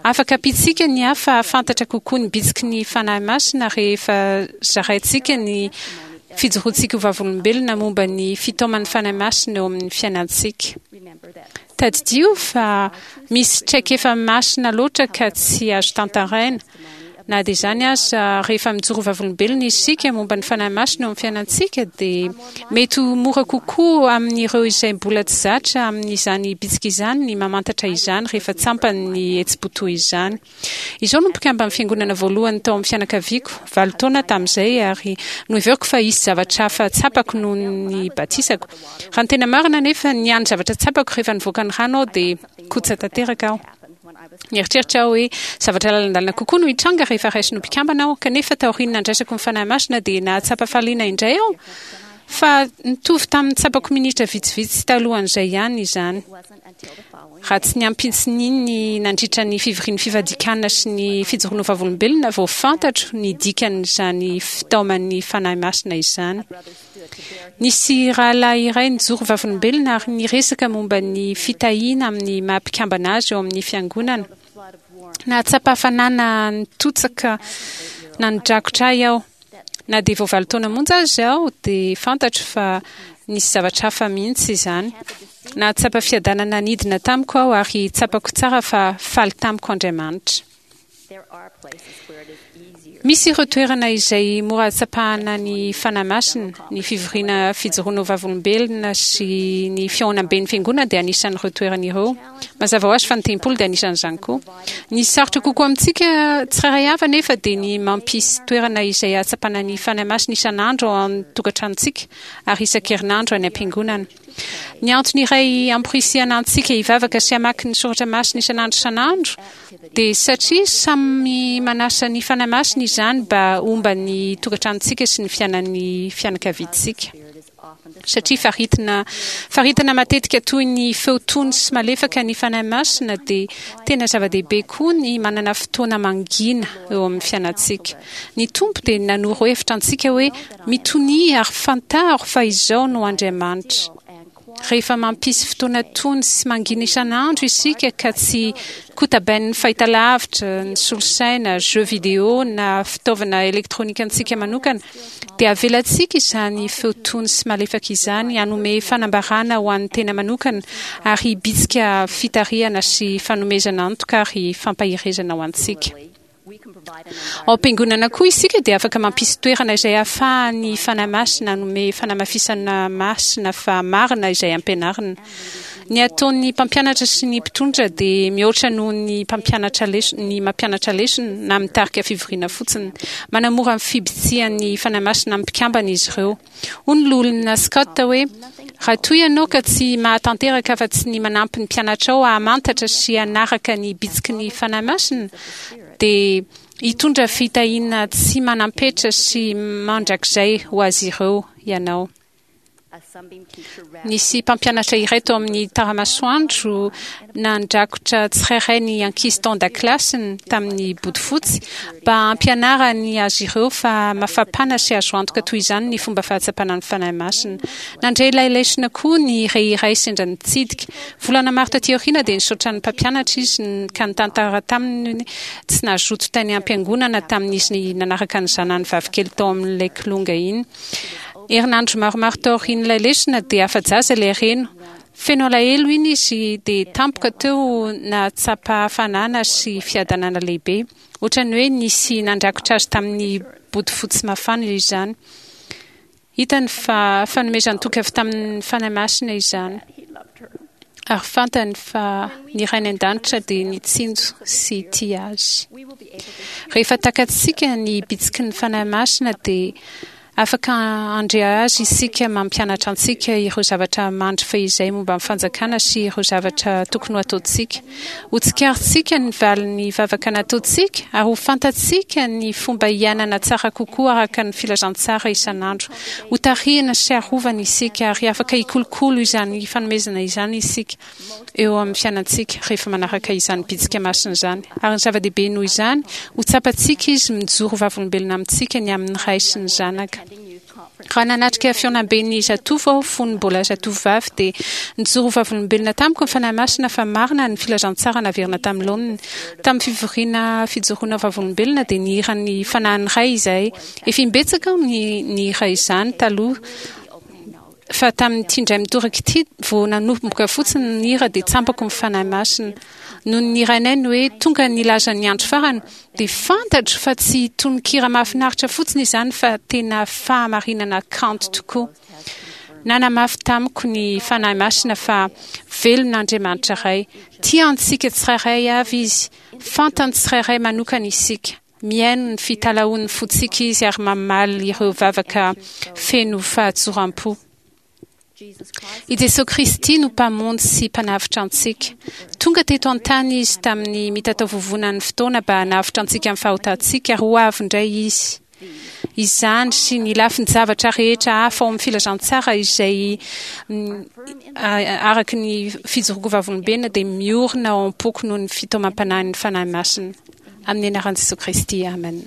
Afaka ampiantsika ny hafa hahafantatra kokoa ny bitsiky ny Fanahy Masina rehefa zaraintsika ny fijoroantsika ho vavolombelona momba ny fitaoman'ny Fanahy Masina eo amin'ny fiainantsika. Tadidio fa misy traikefa masina loatra ka tsy azo tantaraina. Na dia izany aza, rehefa mijoro vavolombelona isika momba ny Fanahy Masina eo amin'ny fiainantsika, dia mety ho mora kokoa amin'ireo izay mbola tsy zatra amin'izany bitsika izany ny mamantatra izany rehefa tsampany ny hetsi-po toy izany. Izao no mpikamban'ny fiangonana voalohany tao amin'ny fianakaviako, valo taona tamin'izay, ary noheveriko fa hisy zavatra hafa tsapako noho ny batisako. Raha ny tena marina anefa, ny hany zavatra tsapako rehefa nivoaka ny rano aho dia kotsa tanteraka aho. Nieritreritra aho hoe zavatra lalandalina kokoa no hitranga rehefa raisina ho mpikambana aho, kanefa taorian'ny nandraisako ny Fanahy Masina dia nahatsapa fahaliana indray aho, fa nitovy tamin'ny tsapako minitra vitsivitsy talohan'izay ihany izany. Raha tsy ny ampitsin'iny nandritra ny fivorian'ny fifadian-kanina sy ny fijoroana ho vavolombelona vao fantatro ny dikan'izany fitaoman'ny Fanahy Masina izany. Nisy rahalahy iray nijoro vavolombelona ary niresaka momba ny fitahiana amin'ny maha mpikambana azy eo amin'ny fiangonana. Nahatsapa hafanana nitotsaka nanodrakotra ahy aho. Na dia vao valo taona monja aza aho dia fantatro fa nisy zavatra hafa mihitsy izany. Nahatsapa fiadanana nidina tamiko aho ary tsapako tsara fa faly tamiko Andriamanitra. Misy ireo toerana izay mora ahatsapahana ny Fanahy Masina. Ny fivoriana fijoroana ho vavolombelona sy ny fihaonamben'ny fiangonana dia anisan'ireo toerana ireo. Mazava ho azy fa ny tempoly dia anisan'izany koa. Ny sarotra kokoa amintsika tsirairay avy anefa dia ny mampisy toerana izay ahatsapana ny Fanahy Masina isan'andro ao an-tokantranontsika ary isan-kerinandro any am-piangonana. Ny antony iray amporisihana antsika hivavaka sy hamaky ny soratra masina isan'andro isan'andro dia satria samy manasa ny Fanahy Masina izany mba homba ny tokantranontsika sy ny fiainan'ny fianakaviantsika. Satria faritina faritana matetika toy ny feo tony sy malefaka ny Fanahy Masina, dia tena zava-dehibe koa ny manana fotoana mangina eo amin'ny fiainantsika. Ny Tompo dia nanoro hevitra antsika hoe mitonia ary fantaro fa izao no Andriamanitra. Rehefa mampisy fotoana tony sy mangina isan'andro isika ka tsy kotabain'ny fahitalavitra, ny solosaina, jeux vidéo na fitaovana elektronika antsika manokana, dia avelantsika izany feo tony sy malefaka izany hanome fanambarana ho an'ny tena manokana ary hibitsika fitarihana sy fanomezana antoka ary fampaherezana ho antsika. Ao am-piangonana koa isika dia afaka mampisy toerana izay ahafahan'ny Fanahy Masina hanome fanamafisana masina fa marina izay ampianarina. Ny ataon'ny mpampianatra sy ny mpitondra dia mihoatra noho ny mpampianatra lesona, ny mampianatra lesona na mitarika fivoriana fotsiny. Manamora ny fibitsihan'ny Fanahy Masina amin'ny mpikambana izy ireo. Hoy ny loholona Scott hoe, raha toa ianao ka tsy mahatanteraka afa-tsy ny manampy ny mpianatrao hahamantatra sy hanaraka ny bitsiky ny Fanahy Masina, dia hitondra fitahiana tsy manam-petra sy mandrakizay ho azy ireo ianao. Nisy mpampianatra iray tao amin'ny tara-masoandro nandrakotra tsirairay ny ankizy tao an-dakilasiny tamin'ny bodofotsy mba hampianarany azy ireo fa mafapana sy azo antoka toy izany ny fomba fahatsapana ny Fanahy Masina. Nandre ilay lesona koa ny ray iray sendra nitsidika. Volana maro taty aoriana dia nisaotra ny mpampianatra izy ka nitantara taminy tsy nazoto tany am-piangonana tamin'izy nanaraka ny zanany vavikely tao amin'ilay kilonga iny. Herinandro maromaro taorian'ilay lesona dia afa-jaza ilay reno. Feno alahelo iny izy dia tampoka teo nahatsapa hafanana sy fiadanana lehibe. Ohatran'ny hoe nisy nandrakotra azy tamin'ny bodofotsy mafana izany. Hitany fa fanomezan-toky avy tamin'ny Fanahy Masina izany. Ary fantany fa ny Rainy an-danitra dia nitsinjo sy tia azy. Rehefa takatsika ny bitsiky ny Fanahy Masina dia Afaka handre azy isika mampianatra antsika ireo zavatra mandry fahizay momba ny fanjakana sy ireo zavatra tokony ho ataontsika. Ho tsikaritsika ny valin'ny vavaka nataontsika ary ho fantatsika ny fomba hiainana tsara kokoa araka ny filazantsara isan'andro. Ho tarihina sy arovana isika ary afaka hikolokolo izany fanomezana izany isika eo amin'ny fiainantsika rehefa manaraka izany bitsika masina izany. Ary ny zava-dehibe noho izany, ho tsapantsika izy mijoro vavolombelona amintsika ny amin'ny Ray sy ny Zanaka. Raha nanatrika fihaonamben'ny zatovo aho fony mbola zatovovavy dia nijoro vavolombelona tamiko ny Fanahy Masina fa marina ny filazantsara naverina tamin'ny laoniny. Tamin'ny fivoriana fijoroana vavolombelona dia nihira ny Fanahin'ny Ray izahay. Efa imbetsaka aho ny nihira izany taloha, fa tamin'ity indray mitoraka ity vao nanomboka fotsiny ny hira dia tsampako ny Fanahy Masina. Noho ny nirainay ny hoe tonga nilaza ny andro farany dia fantatro fa tsy tononkira mahafinaritra fotsiny izany fa tena fahamarinana kanto tokoa. Nanamafy tamiko ny Fanahy Masina fa velona Andriamanitra Ray. Tia antsika tsirairay avy izy, fantany tsirairay manokana isika. Mihaino ny fitalahoan'ny fontsika izy ary mamaly ireo vavaka feno fahatsoram-po. I Jesoa Kristy no Mpamonjy sy Mpanavotra antsika. Tonga teto an-tany izy tamin'ny mitataovovonan'ny fotoana mba hanavotra antsika amin'ny fahotantsika ary ho avy indray izy. Izany sy ny lafin-javatra rehetra hafa ao amin'ny filazantsara izay araka ny fijoroako vavolombelona dia miorina ao am-poko noho ny fitaomam-panahin'ny Fanahy Masina. Amin'ny anaran'i Jesoa Kristy, amen.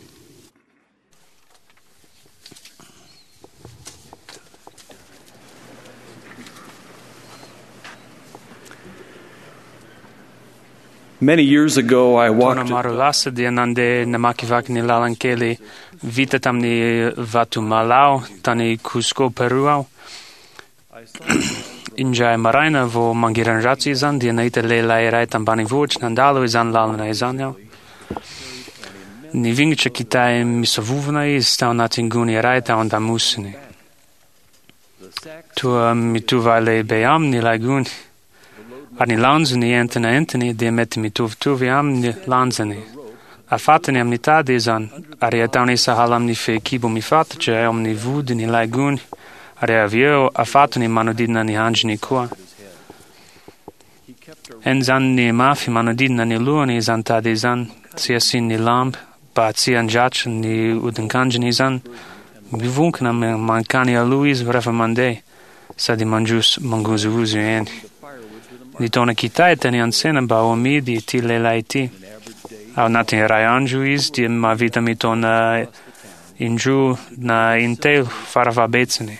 Many years ago, I Taona walked maro lasa dia nandeha namakivaky ny lalan-kely vita tamin'ny vato malao tany Cusco, Peru aho. Indray maraina vao mangiran-dratsy izany dia nahita lehilahy iray tambanivohitra nandalo izany lalana izany aho. Nivingitra kitay misavovona izy tao anatin'ny gony iray tao an-damosiny. Toa mitovy halehibe aminy ilay gony. Ary ny lanjany entina entiny dia mety mitovitovy amin'ny lanjany. Afatany amin'ny tady izany ary ataony sahala amin'ny fehikibo mifatotra eo amin'ny vodiny ilay gony ary avy eo afatony manodidina ny handriny koa. Henjaniny mafy manodidina ny lohany izany tady izany, tsy asiany lamba mba tsy handratra ny hodinkandriny izany. Mivonkina mankany aloha izy rehefa mandeha sady mandroso mangozohozo eny. Nitaona kitay tany an-tsena mba ho amidy ity lehilahy ity. Ao anatin'ny iray andro izy dia mahavita mitaona indroa na intelo farafahabetsany.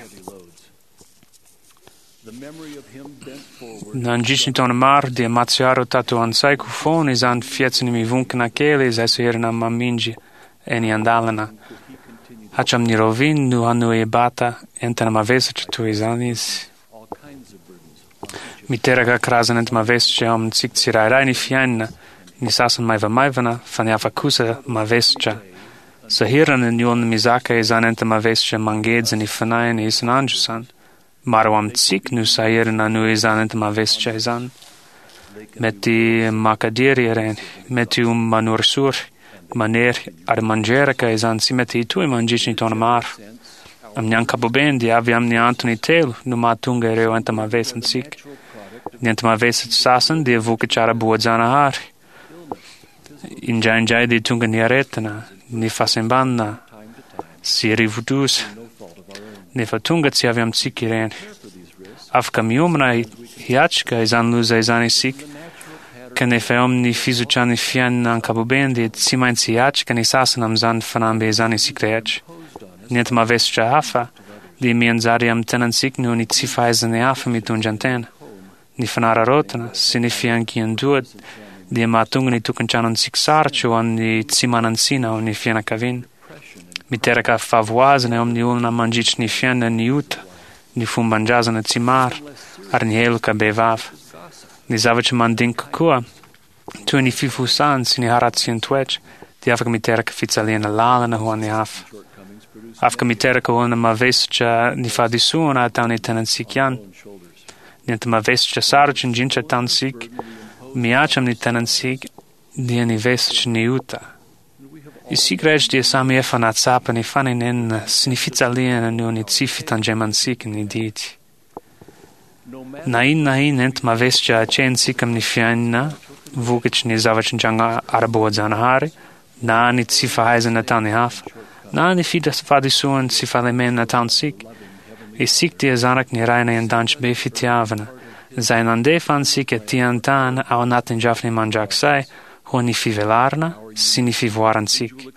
Nandritry ny taona maro dia mahatsiaro tato an-tsaiko foana izany fihetsiny mivonkina kely izay sahirana mamindry eny an-dalana. Hatramin'ny rahoviana no hanohy hibata entana mavesatra toy izany izy. Miteraka karazana enta-mavesatra eo amintsika tsirairay ny fiainana, ny sasany maivamaivana fa ny hafa kosa mavesatra. Sahirana ny olona mizaka izany enta-mavesatra mangeja ny fanahiny isan'andro izany. Maro amintsika no sahirana noho izany enta-mavesatra izany. Mety makadiry ireny, mety ho manorisory, manery ary mandreraka izany tsy mety hitohy mandritry ny taona maro. Amin'ny ankapobeny dia avy amin'ny antony telo no mahatonga ireo enta-mavesantsika. Ny enta-mavesatra sasany dia vokatra ara-boajanahary. Indraindray dia tonga ny aretina, ny fahasembanana sy rivodoza, nefa tonga tsy avy amintsika ireny. Afaka miomana hiatrika izany loza izany isika, kanefa eo amin'ny fizotran'ny fiainana ankapobeny dia tsy maintsy hiatrika ny sasany amin'izany fanamby izany isika rehetra. Ny enta-mavesatra hafa dia mianjary amin'ny tenantsika noho ny tsy fahaizan'ny hafa mitondra an-tena. Ny fanararaotana sy ny fiankian-doha dia mahatonga ny tokantranontsika sarotra ho an'ny tsy manan-tsina ao amin'ny fianakaviana. Miteraka fahavoazana eo amin'ny olona mandritry ny fiainana ny ota, ny fomban-drazana tsy maro ary ny heloka bevava. Ny zavatra mandinika koa, toy ny fifosana sy ny haratsian-toetra, dia afaka miteraka fijaliana lalina ho an'ny hafa. Afaka miteraka olona mavesatra ny fahadisoana ataon'ny tenantsika ihany. Ny enta-mavesatra sarotra indrindra ataontsika mihatra amin'ny tenantsika dia ny vesatry ny ota. Isika rehetra dia samy efa nahatsapa ny fanenenana sy ny fijaliana noho ny tsy fitandremantsika ny didy. Na inona na inona enti-mavesatra atrehintsika amin'ny fiainana vokatry ny zavatra nitranga ara-boajanahary, na ny tsy fahaizana nataon'ny hafa, na ny fahadisoana sy fahalemena nataontsika, isika dia zanaky ny Rainay an-danitra be fitiavana, izay nandefa antsika aty an-tany ao anatin'ny drafiny mandrakizay ho an'ny fivelarana sy ny fivoarantsika.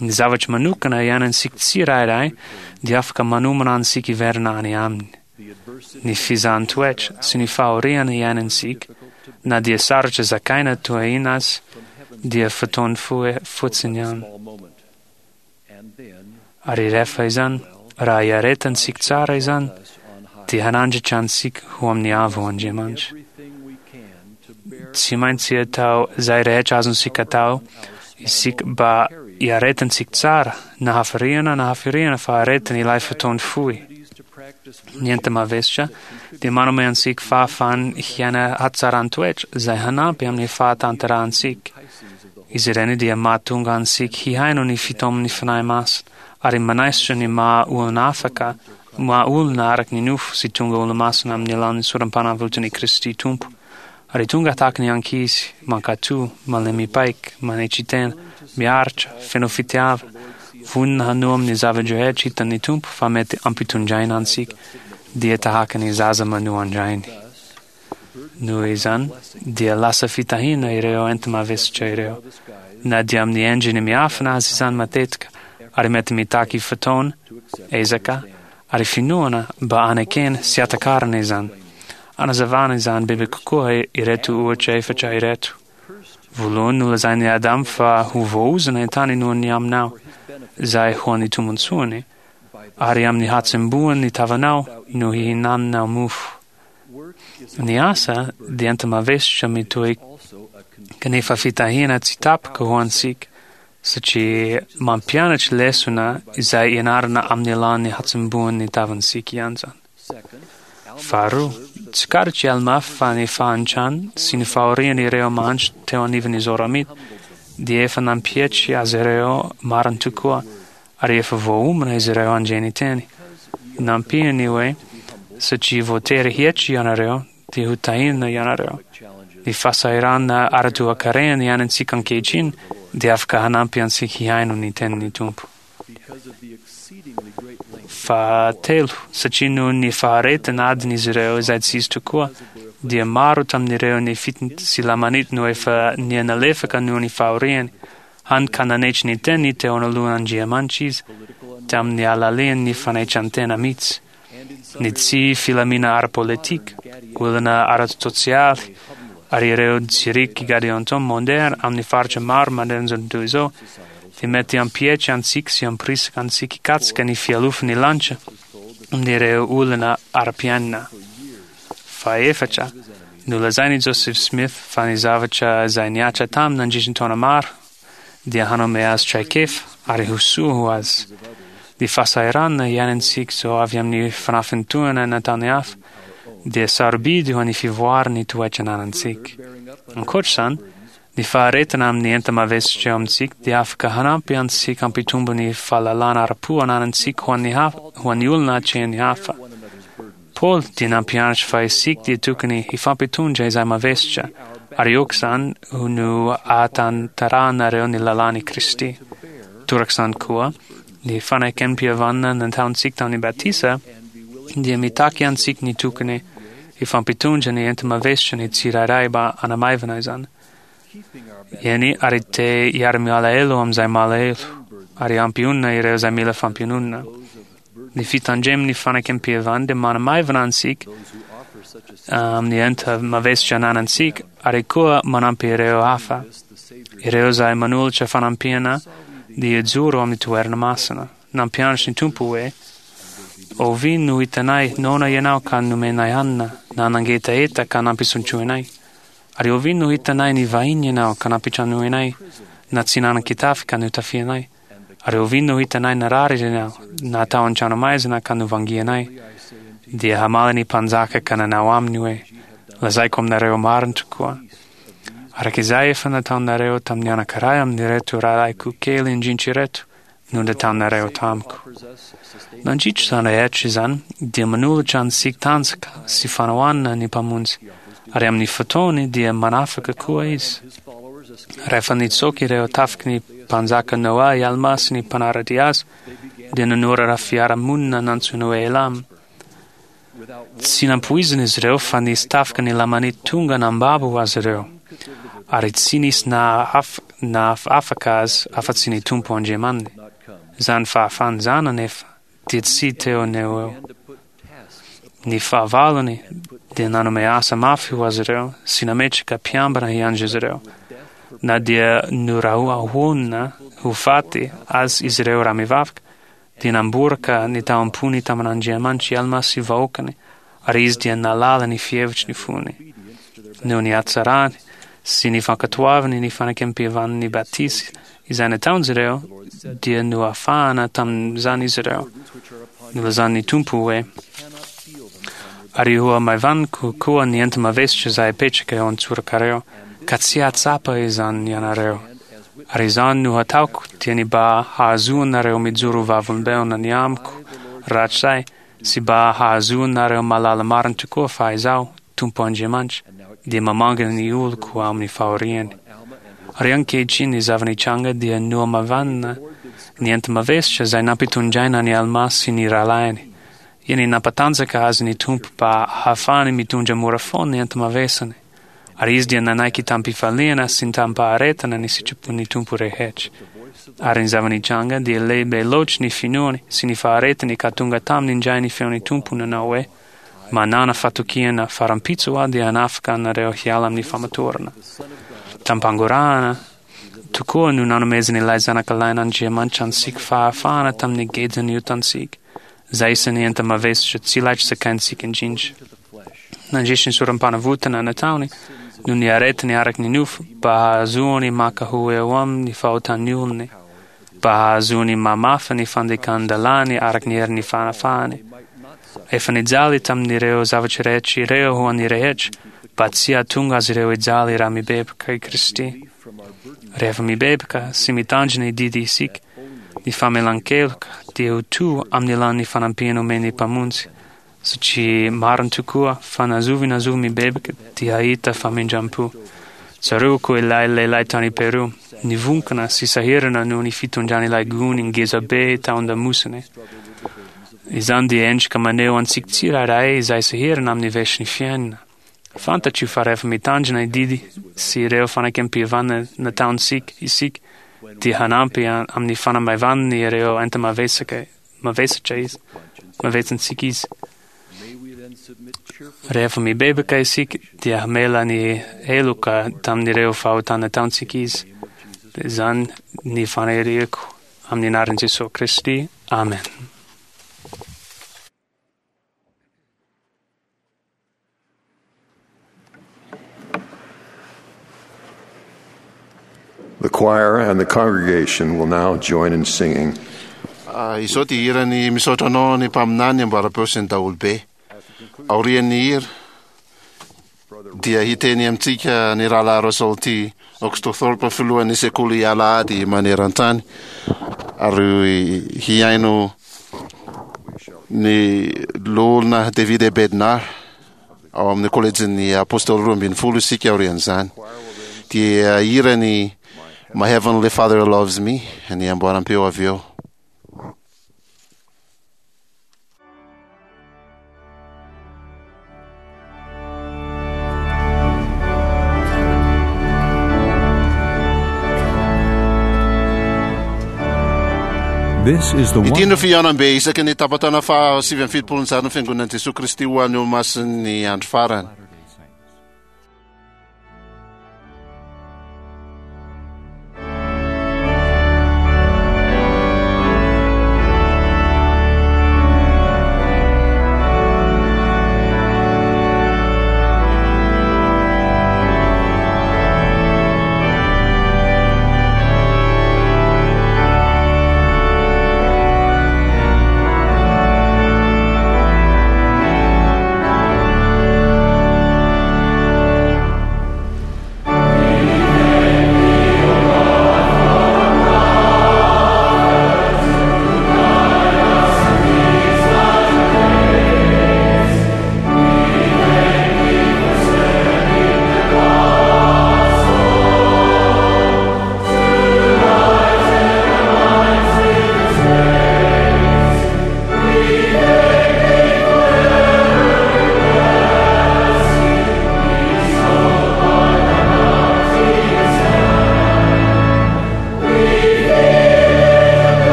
Ny zavatra manokana iainantsika tsirairay dia afaka manomana antsika hiverina any aminy. Ny fizahan-toetra sy ny fahoriana iainantsika, na dia sarotra zakaina toa inona aza, dia fotoana fohy fotsiny ihany. Ary rehefa izany, raha iaretantsika tsara izany, dia hanandratra antsika ho amin'ny avo Andriamanitra. Tsy maintsy atao izay rehetra azontsika atao isika mba hiaretantsika tsara, na hafiriana na hafiriana fa aretina ilay fotoana fohy. Ny enti-mavesatra dia manome antsika fahafahana hiaina hatsaran-toetra izay hanampy amin'ny fahatanterahantsika. Izy ireny dia mahatonga antsika hihaino ny fitaoman'ny Fanahy Masina ary manaisotra ny maha olona afaka, maha olona araka ny nofo sy tonga olo-masina amin'ny alalan'ny sorom-panavotan'i Kristy Tompo. Ary tonga tahaka ny ankizy, mankatò, malemy paika, manetry tena, miaritra, feno fitiavana, vonona hanoa amin'ny zava-drehetra hitan'ny Tompo fa mety ampitondraina antsika, dia tahaka ny zaza manoa an-drainy. Noho izany, dia lasa fitahiana ireo enti-mavesatra ireo, na dia amin'ny endriny miafina aza izany matetika, ary mety mitaky fotoana, ezaka, ary finoana mba hanekena sy hatakarana izany. Hanazavana izany bebe kokoa ireto ohatra efatra ireto. Voalohany, nolazain'i Adama fa ho voaozona ny tany noho ny aminao, izay ho an'ny tombontsoany, ary amin'ny hatsembohan'ny tavanao no hihinananao mofo. Ny asa dia enti-mavesatra mitohy kanefa fitahiana tsy tapaka ho antsika, satria mampianatra lesona izay ianarana amin'ny alalan'ny hatsembohan'ny tavantsika ihany izany. Faharoa, tsikaritr'i Alma fa ny fahantrany sy ny fahorian'ireo mahantra teo anivon'ny Zoramita dia efa nampietry azy ireo marina tokoa, ary efa voaomana izy ireo handre ny teny. Nampiany hoe, Satria voatery hietry ianareo, dia ho tahiana ianareo. Ny fahasahiranana ara-toekarena iainantsika ankehitriny dia afaka hanampy antsika hihaino ny tenin'ny Tompo. Fahatelo, satria noho ny faharetana adin'izy ireo izay tsy izy tokoa, dia maro tamin'ireo Nefita sy Lamanita no efa niha-nalefaka noho ny fahoriany, hany ka nanetry ny teniny teo anoloan'Andriamanitra izy, tamin'ny alalan'ny fanaitran-tena mihitsy. Ny tsy filamina ara-politika, olana ara-tsosialy, ary ireo tsiriky Gadianton moderna amin'ny faritra maro manerana izao tontolo izao dia mety hampietry antsika sy hampirisika antsika hikatsaka ny fialofan'ny lanitra amin'ireo olana ara-piainana. Fahefatra, nolazain'i Joseph Smith fa ny zavatra izay nihatra taminy nandritra ny taona maro dia hanome azy traikefa ary ho soa ho azy. Ny fahasahiranana iainantsika izao avy amin'ny fanafintohina nataon'ny hafa dia sarobidy ho an'ny fivoaran'ny toetra ananantsika. Ankoatra izany, ny faharetana amin'ny enta-mavesatra eo amintsika dia afaka hanampy antsika hampitombo ny fahalalana ara-po ananantsika ho an'ny hafa, ho an'ny olona atrehin'ny hafa. Paoly dia nampianatra fa isika dia tokony hifampitondra izay mavesatra, ary aoka izany ho no ahatanterahanareo ny lalàn'i Kristy. Toraka izany koa, ny fanekempihavanana nataontsika tamin'ny batisa dia mitaky antsika ny tokony hifampitondra ny enti-mavesatra ny tsirairay mba hanamaivana izany. Eny, ary te hiara-mialahelo amin'izay malahelo, ary hampionona ireo izay mila fampiononana. Ny fitandreman'ny fanekempihavanana dia manamaivana antsika amin'ny enti-mavesatra ananantsika, ary koa manampy ireo hafa. Ireo izay manolotra fanampiana dia hijoro amin'ny toerana masina. Nampianatra ny Tompo hoe, Oviana no hitanay noana ianao ka nomenay hanina, na nangetaheta ka nampisotroinay? Ary oviana no hitanay nivahiny ianao ka nampitranoinay, na tsy nanan-kitafy ka notafianay? Ary oviana no hitanay narary ianao, na tao an-tranomaizina ka novangianay? Dia hamaly ny mpanjaka ka nanao aminy hoe, Lazaiko aminareo marina tokoa, Araka izay efa nataonareo tamin'ny anankiray amin'ireto rahalahiko kely indrindra ireto no nataonareo tamiko. Nandritra izany rehetra izany dia manolotra antsika tanjaka sy fanohanana ny Mpamonjy, ary amin'ny fotoany dia manafaka koa izy. Rehefa nitsoaka ireo tafiky ny mpanjaka Noa i Alma sy ny mpanara-dia azy, dia nanorina fiarahamonina nantsoina hoe Elam. Tsy nampoizina izy ireo fa nisy tafika ny Lamanita tonga nambabo azy ireo, ary tsy nisy nahafaka azy afa-tsy ny Tompo Andriamaniny. Izany fahafahana izany anefa dia tsy teo no ho eo. Ny fahavalony dia nanome asa mafy ho azy ireo sy nametraka mpiambina hiandry azy ireo. Na dia norahonana ho faty azy izy ireo raha mivavaka, dia namboraka ny tao am-pony tamin'Andriamanitra i Alma sy vahoakany, ary izy dia nahalala ny fihevitry ny fony. Noho ny hatsarany sy ny fankatoavany ny fanekempihavanan'ny batisa izay nataon'izy ireo, dia noafahana tamin'izany izy ireo. Nilazan'ny Tompo hoe: Ary hohamaivaniko koa ny enta-mavesatra izay apetraka eo an-tsorokareo, ka tsy hahatsapa izany ianareo. Ary izany no hataoko, dia ny mba hahazoanareo mijoro vavolombelona ny amiko rahatrizay, sy mba hahazoanareo mahalala marina tokoa fa Izaho, Tompo Andriamanitra, dia mamangana ny oloko amin'ny fahoriany. Ary ankehitriny ny zava-nitranga dia nohamavanina ny enta-mavesatra izay nampitondraina an'i Alma sy ny rahalahiny. Eny, nampatanjaka azy ny Tompo mba hahafahany mitondra mora foana ny enta-mavesany. Ary izy dia nanaiky tamim-pifaliana sy tamim-paharetana ny sitrapon'ny Tompo rehetra. Ary ny zava-nitranga dia lehibe loatra ny finoany sy ny faharetany ka tonga taminy indray ny feon'ny Tompo nanao hoe: Manàna fatokiana, fa rahampitso aho dia hanafaka anareo hiala amin'ny famatorana. Tamim-pangorahana tokoa no nanomezan'ilay Zanakalahin'Andriamanitra antsika fahafahana tamin'ny gejan'ny otantsika, izay isan'ny enta-mavesatra tsy laitra zakaintsika indrindra. Nandritra ny sorom-panavotana nataony no niaretany araka ny nofo mba hahazoany maka ho eo aminy ny fahotan'ny olony, mba hahazoany mamafa ny fandikan-dalàny araka ny herin'ny fanafahany. Efa nijaly tamin'ireo zavatra rehetra ireo ho an'ny rehetra, mba tsy hahatonga azy ireo hijaly raha mibebaka i Kristy. Rehefa mibebaka sy mitandrina ny didy isika, ny famelan-keloka dia ho to amin'ny alalan'ny fanampiana omen'ny Mpamonjy, satria marina tokoa fa na zovy na zovy mibebaka dia hahita famindram-po. Tsaroako ilay lehilahy tany Peru, nivonkana sy sahirana noho ny fitondran'ilay gony ngezabe tao an-damosiny. Izany dia endrika maneho antsika tsirairay izay sahirana amin'ny vesy ny fiainana. Fantatro fa rehefa mitandrina ny didy sy ireo fanekempihavanana nataontsika isika, dia hanampy amin'ny fanamaivanana ireo enta-mavesaka mavesatra izy, mavetsantsika izy. Rehefa mibebaka isika, dia hamela ny heloka tamin'ireo fahotana nataontsika izy. Izany ny faniriako amin'ny anaran'i Jesoa Kristy. Amen. The choir and the congregation will now join in singing. Ah, izao dia hirany misaotra anao ny mpaminany amboaram-peo sy ny daholobe. Aorian'ny hira dia hiteny amintsika ny rahalahy Russell T. Oxtothorpe, filohan'ny sekoly alahady maneran-tany, ary hihaino ny loholona David A. Bednar ao amin'ny kolejin'ny Apostoly roa ambin'ny folo isika aorian'izany. Dia hirany My Heavenly Father Loves Me ny amboaram-peo avy eo. This is the Ity one no fihaonambe isaky ny tapataona faha sivy amby fitopolo ny fiangonan'i Jesoa Kristy ho an'ny Olomasin'ny andro farany. Latter-day Saints.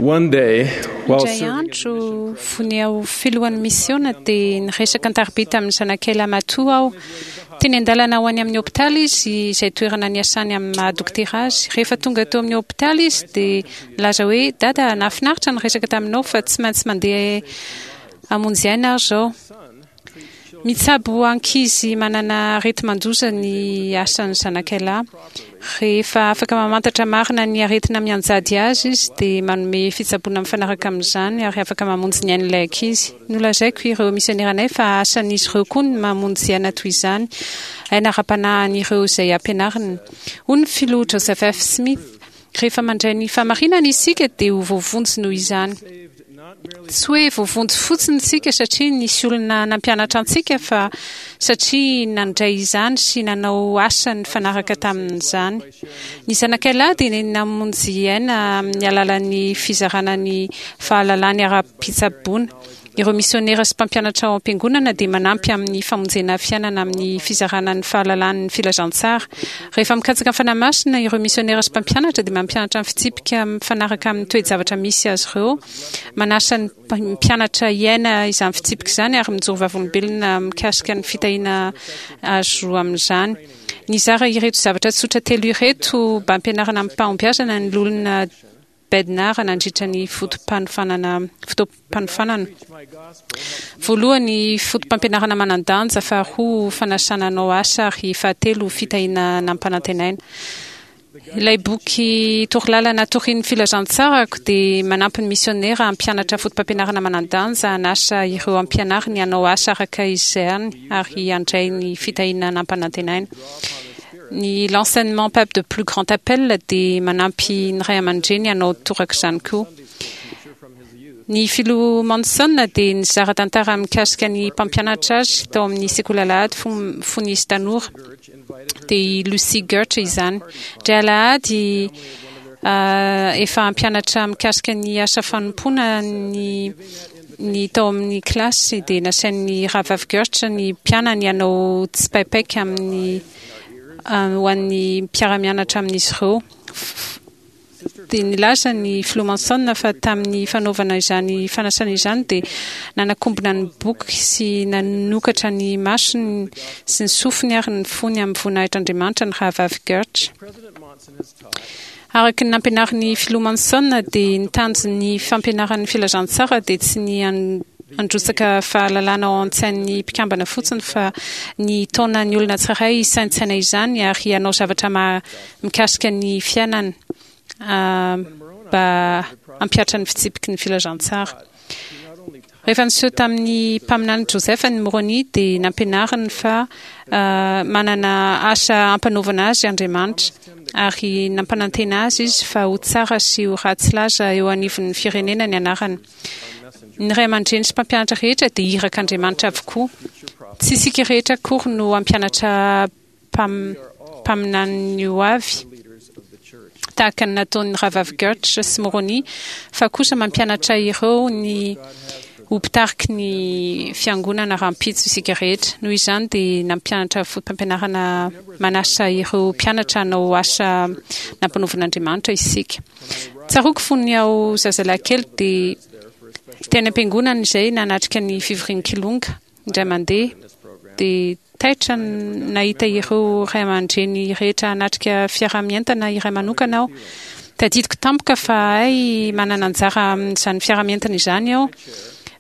One day, while Indray andro, fony aho filohan'ny misiona, dia niresaka an-tariby tamin'ny zanakay lahimatoa aho. Teny an-dalana ho any amin'ny hôpitaly izy, izay toerana niasany amin'ny maha dokotera azy. Rehefa tonga teo amin'ny hôpitaly izy, dia nilaza hoe: "Dada, nahafinaritra ny resaka taminao, fa tsy maintsy mandeha hamonjy aina aho izao." Mitsabo ankizy manana areti-mandoza ny asan'ny zanakay lahy. Rehefa afaka mamantatra marina ny aretina mianjady azy izy, dia manome fitsaboana mifanaraka amin'izany ary afaka mamonjy ny ain'ilay ankizy. Nolazaiko ireo misioneranay fa asan'izy ireo koa ny mamonjy aina toy izany, aina ara-panahin'ireo izay ampianariny. Hoy ny filoha Joseph F. Smith: "Rehefa mandray ny fahamarinana isika, dia ho voavonjy noho izany." Tsy hoe voavonjy fotsiny isika satria nisy olona nampianatra antsika, fa satria nandray izany sy nanao asa nifanaraka tamin'izany. Ny zanakay lahy dia namonjy aina amin'ny alalan'ny fizarana ny fahalalany ara-pitsaboana. Ireo misionera sy mpampianatra ao am-piangonana dia manampy amin'ny famonjena fiainana amin'ny fizarana ny fahalalany filazantsara. Rehefa mikatsaka ny Fanahy Masina ireo misionera sy mpampianatra, dia mampianatra ny fitsipika mifanaraka amin'ny toe-javatra misy azy ireo, manasa ny mpianatra hiaina izany fitsipika izany ary mijoro vavolombelona mikasika ny fitahiana azo amin'izany. Nizara ireto zavatra tsotra telo ireto mba hampianarana amim-pahombiazana ny loholona Bednar nandritra ny fotoam-panofanana fotoam-panofanana. Voalohany, foto-pampianarana manan-danja; faharoa, fanasana hanao asa; ary fahatelo, fitahiana nampanantenaina. Ilay boky Torolalana Torio ny Filazantsarako dia manampy ny misionera hampianatra foto-pampianarana manan-danja, hanasa ireo ampianariny hanao asa araka izany ary handray ny fitahiana nampanantenaina. Ny L'Enseignement Pape de Plus Grand Appel dia manampy ny ray aman-dreny hanao torak'izany koa. Ny filoha Monson dia nizara tantara mikasika ny mpampianatra azy tao amin'ny sekoly alahady fony izy tanora, dia i Lucy Gertsch izany. Indray alahady, efa hampianatra mikasika ny asa fanompoana ny ny tao amin'ny kilasy, dia nasain'ny rahavavy Gertsch ny mpianany hanao tsipaipaika amin'ny ho an'ny mpiara-mianatra amin'izy ireo. Dia nilaza ny filoha Monson fa tamin'ny fanaovana izany fanasana izany, dia nanakombona ny boky sy nanokatra ny masony sy ny sofiny ary ny fony amin'ny voninahitr'Andriamanitra ny rahavavy Gertsch. Araka ny nampianarin'ny filoha Monson, dia ny tanjon'ny fampianaran'ny filazantsara dia tsy ny handrotsaka fahalalana ao an-tsain'ny mpikambana fotsiny, fa ny taona ny olona tsirairay hisaintsaina izany ary hanao zavatra mikasika ny fiainany mba hampihatra ny fitsipiky ny filazantsara. Rehefa niseho tamin'ny mpaminany Joseph ny Moroni, dia nampianariny fa manana asa ampanaovana azy Andriamanitra, ary nampanantena azy izy fa ho tsara sy ho ratsy laza eo anivon'ny firenena ny anarany. Ny ray aman-dreny sy mpampianatra rehetra dia irak'Andriamanitra avokoa. Tsy isika rehetra akory no hampianatra mpaminany ho avy tahaka ny nataon'ny rahavavy Gertsch sy Moroni, fa kosa mampianatra ireo ny ho mpitariky ny fiangonana rahampitso isika rehetra. Noho izany dia nampianatra foto-pampianarana manasa ireo mpianatra hanao asa nampanaovin'Andriamanitra isika. Tsaroako fony aho zazalahy kely, dia teny am-piangonana izay nanatrika ny fivorian'ny kilonga indray mandeha, dia taitra nahita ireo ray aman-dreny rehetra hanatrika fiaraha-mientana iray manokana aho. Tadidiko tampoka fa hay manana anjara amin'izany fiaraha-mientana izany aho.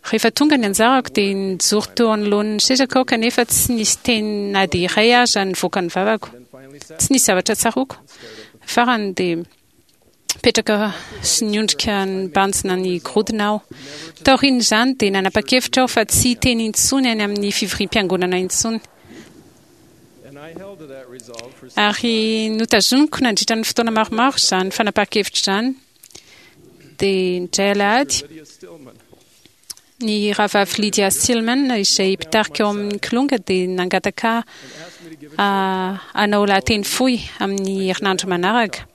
Rehefa tonga ny anjarako, dia nijoro teo anoloan'ny sezako aho, kanefa tsy nisy teny na dia iray aza nivoaka ny vavako. Tsy nisy zavatra tsaroako. Farany dia mipetraka sy niondrika nibanjina ny gorodona aho. Taorian'izany dia nanapa-kevitra aho fa tsy hiteny intsony any amin'ny fivoriam-piangonana intsony. Ary notazoniko nandritra ny fotoana maromaro izany fanapahan-kevitra izany. Dia indray alahady, ny rahavavy Lydia Stillman, izay mpitarika ao amin'ny kilonga, dia nangataka hanao lahateny fohy amin'ny herinandro manaraka.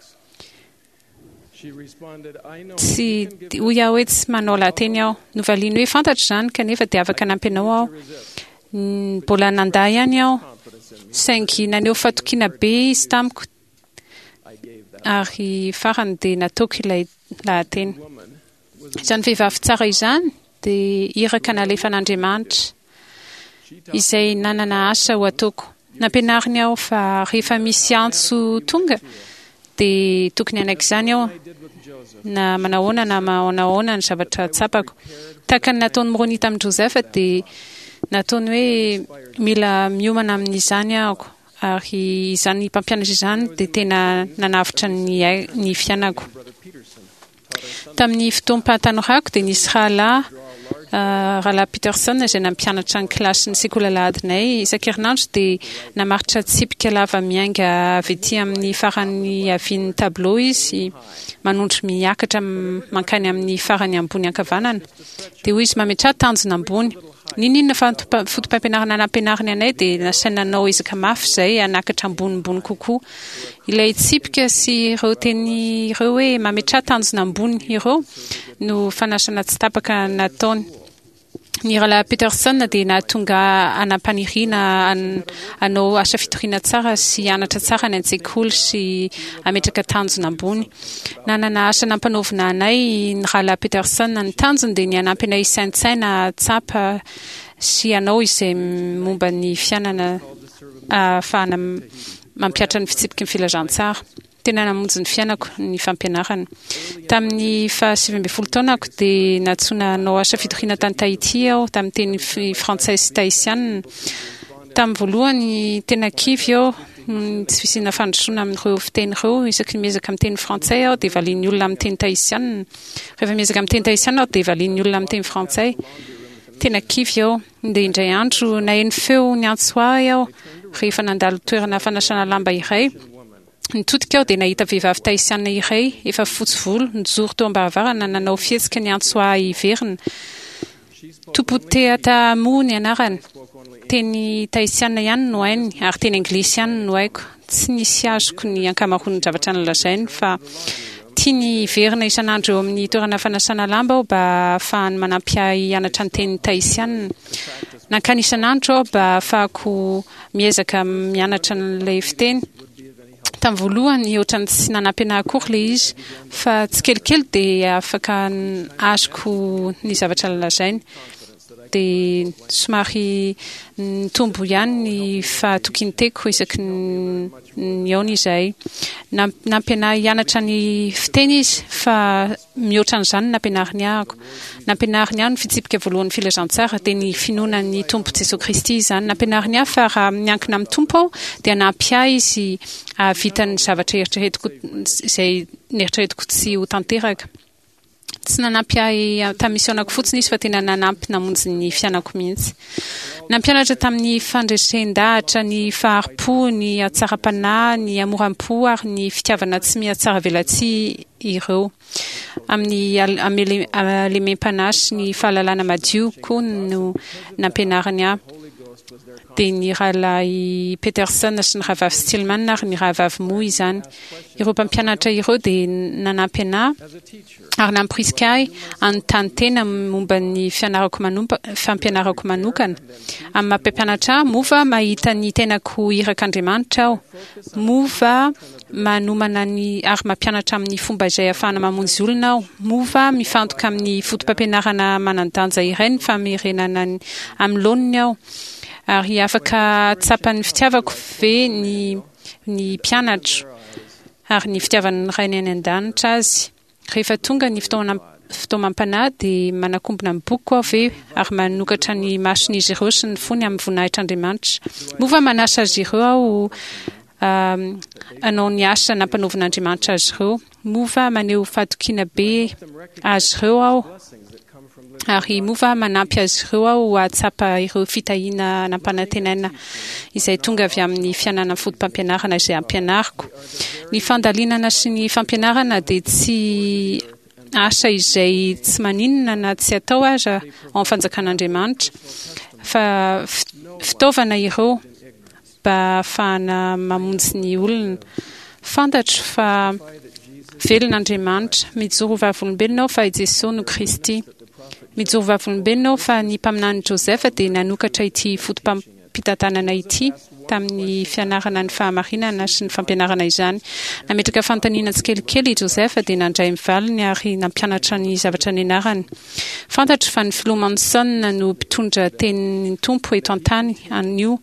Tsy hoy aho hoe tsy manao lahateny aho. Novaliany hoe: "Fantatro izany, kanefa dia afaka hanampy anao aho." Mbola nanda ihany aho, saingy naneho fatokiana be izy tamiko, ary farany dia nataoko ilay lahateny. Izany vehivavy tsara izany dia iraka nalefan'Andriamanitra izay nanana asa ho ataoko. Nampianariny aho fa rehefa misy antso tonga dia tokony hanaiky izany aho, na manahoana na manahoana ny zavatra tsapako. Tahaka ny nataon'i Moroni tamin'i Joseph dia nataony hoe mila miomana amin'izany aho, ary izany mpampianatra izany dia tena nanavotra ny ai- ny fiainako. Tamin'ny fotoam-pahatanorako dia nisy rahalahy, rahalahy Peterson, izay nampianatra ny kilasin'ny sekoly alahadinay isan-kerinandro dia namaritra tsipika lava miainga avy ety amin'ny farany havian'ny tableau izy, manondro miakatra mankany amin'ny farany ambony ankavanana. Dia hoy izy, mametraha tanjona ambony. N'inon'inona foto-pampianarana nampianariny anay dia nasaina nanao ezaka mafy izay hanakatra ambonimbony kokoa. Ilay tsipika sy ireo teny ireo hoe mametraha tanjona ambony ireo no fanasana tsy tapaka nataony. Ny rahalahy Peterson dia nahatonga hanam-paniriana hanao asa fitoriana tsara sy hianatra tsara any an-tsekoly sy hametraka tanjona ambony. Nanana asa nampanaovina anay ny rahalahy Peterson. Ny tanjony dia ny hanampy anay hisaintsaina, hahatsapa sy hanao izay momba ny fiainana ahafahana mampihatra ny fitsipiky ny filazantsara. Tena namonjy ny fiainako ny fampianarana. Tamin'ny fahasivy ambin'ny folo taonako dia nantsoina hanao asa fitoriana tany Tahiti aho, tamin'ny teny frantsay sy tahisianina. Tamin'ny voalohany tena kivy aho noho ny tsy fisiana fandrosoana amin'ireo fiteny ireo. Isaky ny miezaka miteny frantsay aho dia valian'ny olona amin'ny teny tahisianina. Rehefa miezaka miteny tahisianina aho dia valian'ny olona amin'ny teny frantsay. Tena kivy aho. Dia indray andro naheno feo niantso ahy aho rehefa nandalo toerana fanasana lamba iray. Nitodika aho dia nahita vehivavy tahisianina iray efa fotsy volo nijoro teo am-baravarana nanao fihetsika niantso ahy hiverina. Tompoteata Mo ny anarany. Teny tahisianina ihany no hainy ary teny anglisy ihany no haiko. Tsy nisy azoko ny ankamaroan'ny zavatra nolazainy fa tiany hiverina isan'andro eo amin'ny toerana fanasana lamba aho mba hahafahany manampy ahy hianatra ny teny tahisianina. Nankany isan'andro aho mba hahafahako miezaka mianatra an'ilay fiteny. Tamin'ny voalohany ohatran'ny tsy nanampy anahy akory ilay izy, fa tsikelikely dia afaka azoko ny zavatra nolazainy. Dia somary nitombo ihany ny fahatokian-teniko isaky ny nihaona izahay. Nampy anahy hianatra ny fiteny izy, fa mihoatra an'izany no nampianariny ahako. Nampianariny ahy ny fitsipika voalohan'ny filazantsara, dia ny finoana ny Tompo Jesoa Kristy izany. Nampianariny ahy fa raha miankina amin'ny Tompo aho, dia hanampy ahy Izy hahavita ny zavatra eritreretiko izay neritreretiko tsy ho tanteraka. Tsy nanampy ahy tamin'ny misionako fotsiny izy fa tena nanampy namonjy ny fiainako mihitsy. Nampianatra tamin'ny fandresen-dahatra ny fahari-po, ny hatsaram-panahy, ny hamoram-po ary ny fitiavana tsy mihatsaravelatsihy ireo. Amin'ny halemem-panahy sy ny fahalalana madio koa no nampianariny ahy. Dia ny rahalahy Peterson sy ny rahavavy Stillman ary ny rahavavy Moa izany. Ireo mpampianatra ireo dia nanampy anahy ary namporisika ahy hanontany tena momba ny fianarako manompa, fampianarako manokana. Amin'ny maha mpampianatra ahy, moa va mahita ny tenako ho irak'Andriamanitra aho? Moa va manomana ny ary mampianatra amin'ny fomba izay ahafahana mamonjy olona aho? Moa va mifantoka amin'ny fotopampianarana manan-danja iray ny famerenana ny amin'ny laoniny aho? Ary afaka hahatsapa ny fitiavako ve ny ny mpianatro ary ny fitiavan'ny Rainy any An-danitra azy? Rehefa tonga ny fotoana fitaomam-panahy dia manakombona ny bokiko aho ve ary manokatra ny mason'izy ireo sy ny fony amin'ny voninahitr'Andriamanitra? Moa va manasa azy ireo aho hanao ny asa nampanaovin'Andriamanitra azy ireo? Moa va maneho fahatokiana be azy ireo aho? Ary moa va manampy azy ireo aho hahatsapa ireo fitahiana nampanantenaina izay tonga avy amin'ny fiainana fotopampianarana izay ampianariko? Ny fandalinana sy ny fampianarana dia tsy asa izay tsy maninona na tsy atao aza ao amin'ny fanjakan'Andriamanitra, fa fitaovana ireo mba hahafahana mamonjy ny olona. Fantatro fa velona Andriamanitra. Mijoro ho vavolombelona aho fa i Jesoa no Kristy. Mijoro ho vavolombelona aho fa ny mpaminany Joseph dia nanokatra ity fotopampitantanana ity tamin'ny fianarana ny fahamarinana sy ny fampianarana izany. Nametraka fanontaniana tsikelikely i Joseph dia nandray ny valiny ary nampianatra ny zavatra nianarany. Fantatro fa ny filoha Monson no mpitondra tenin'ny Tompo eto an-tany anio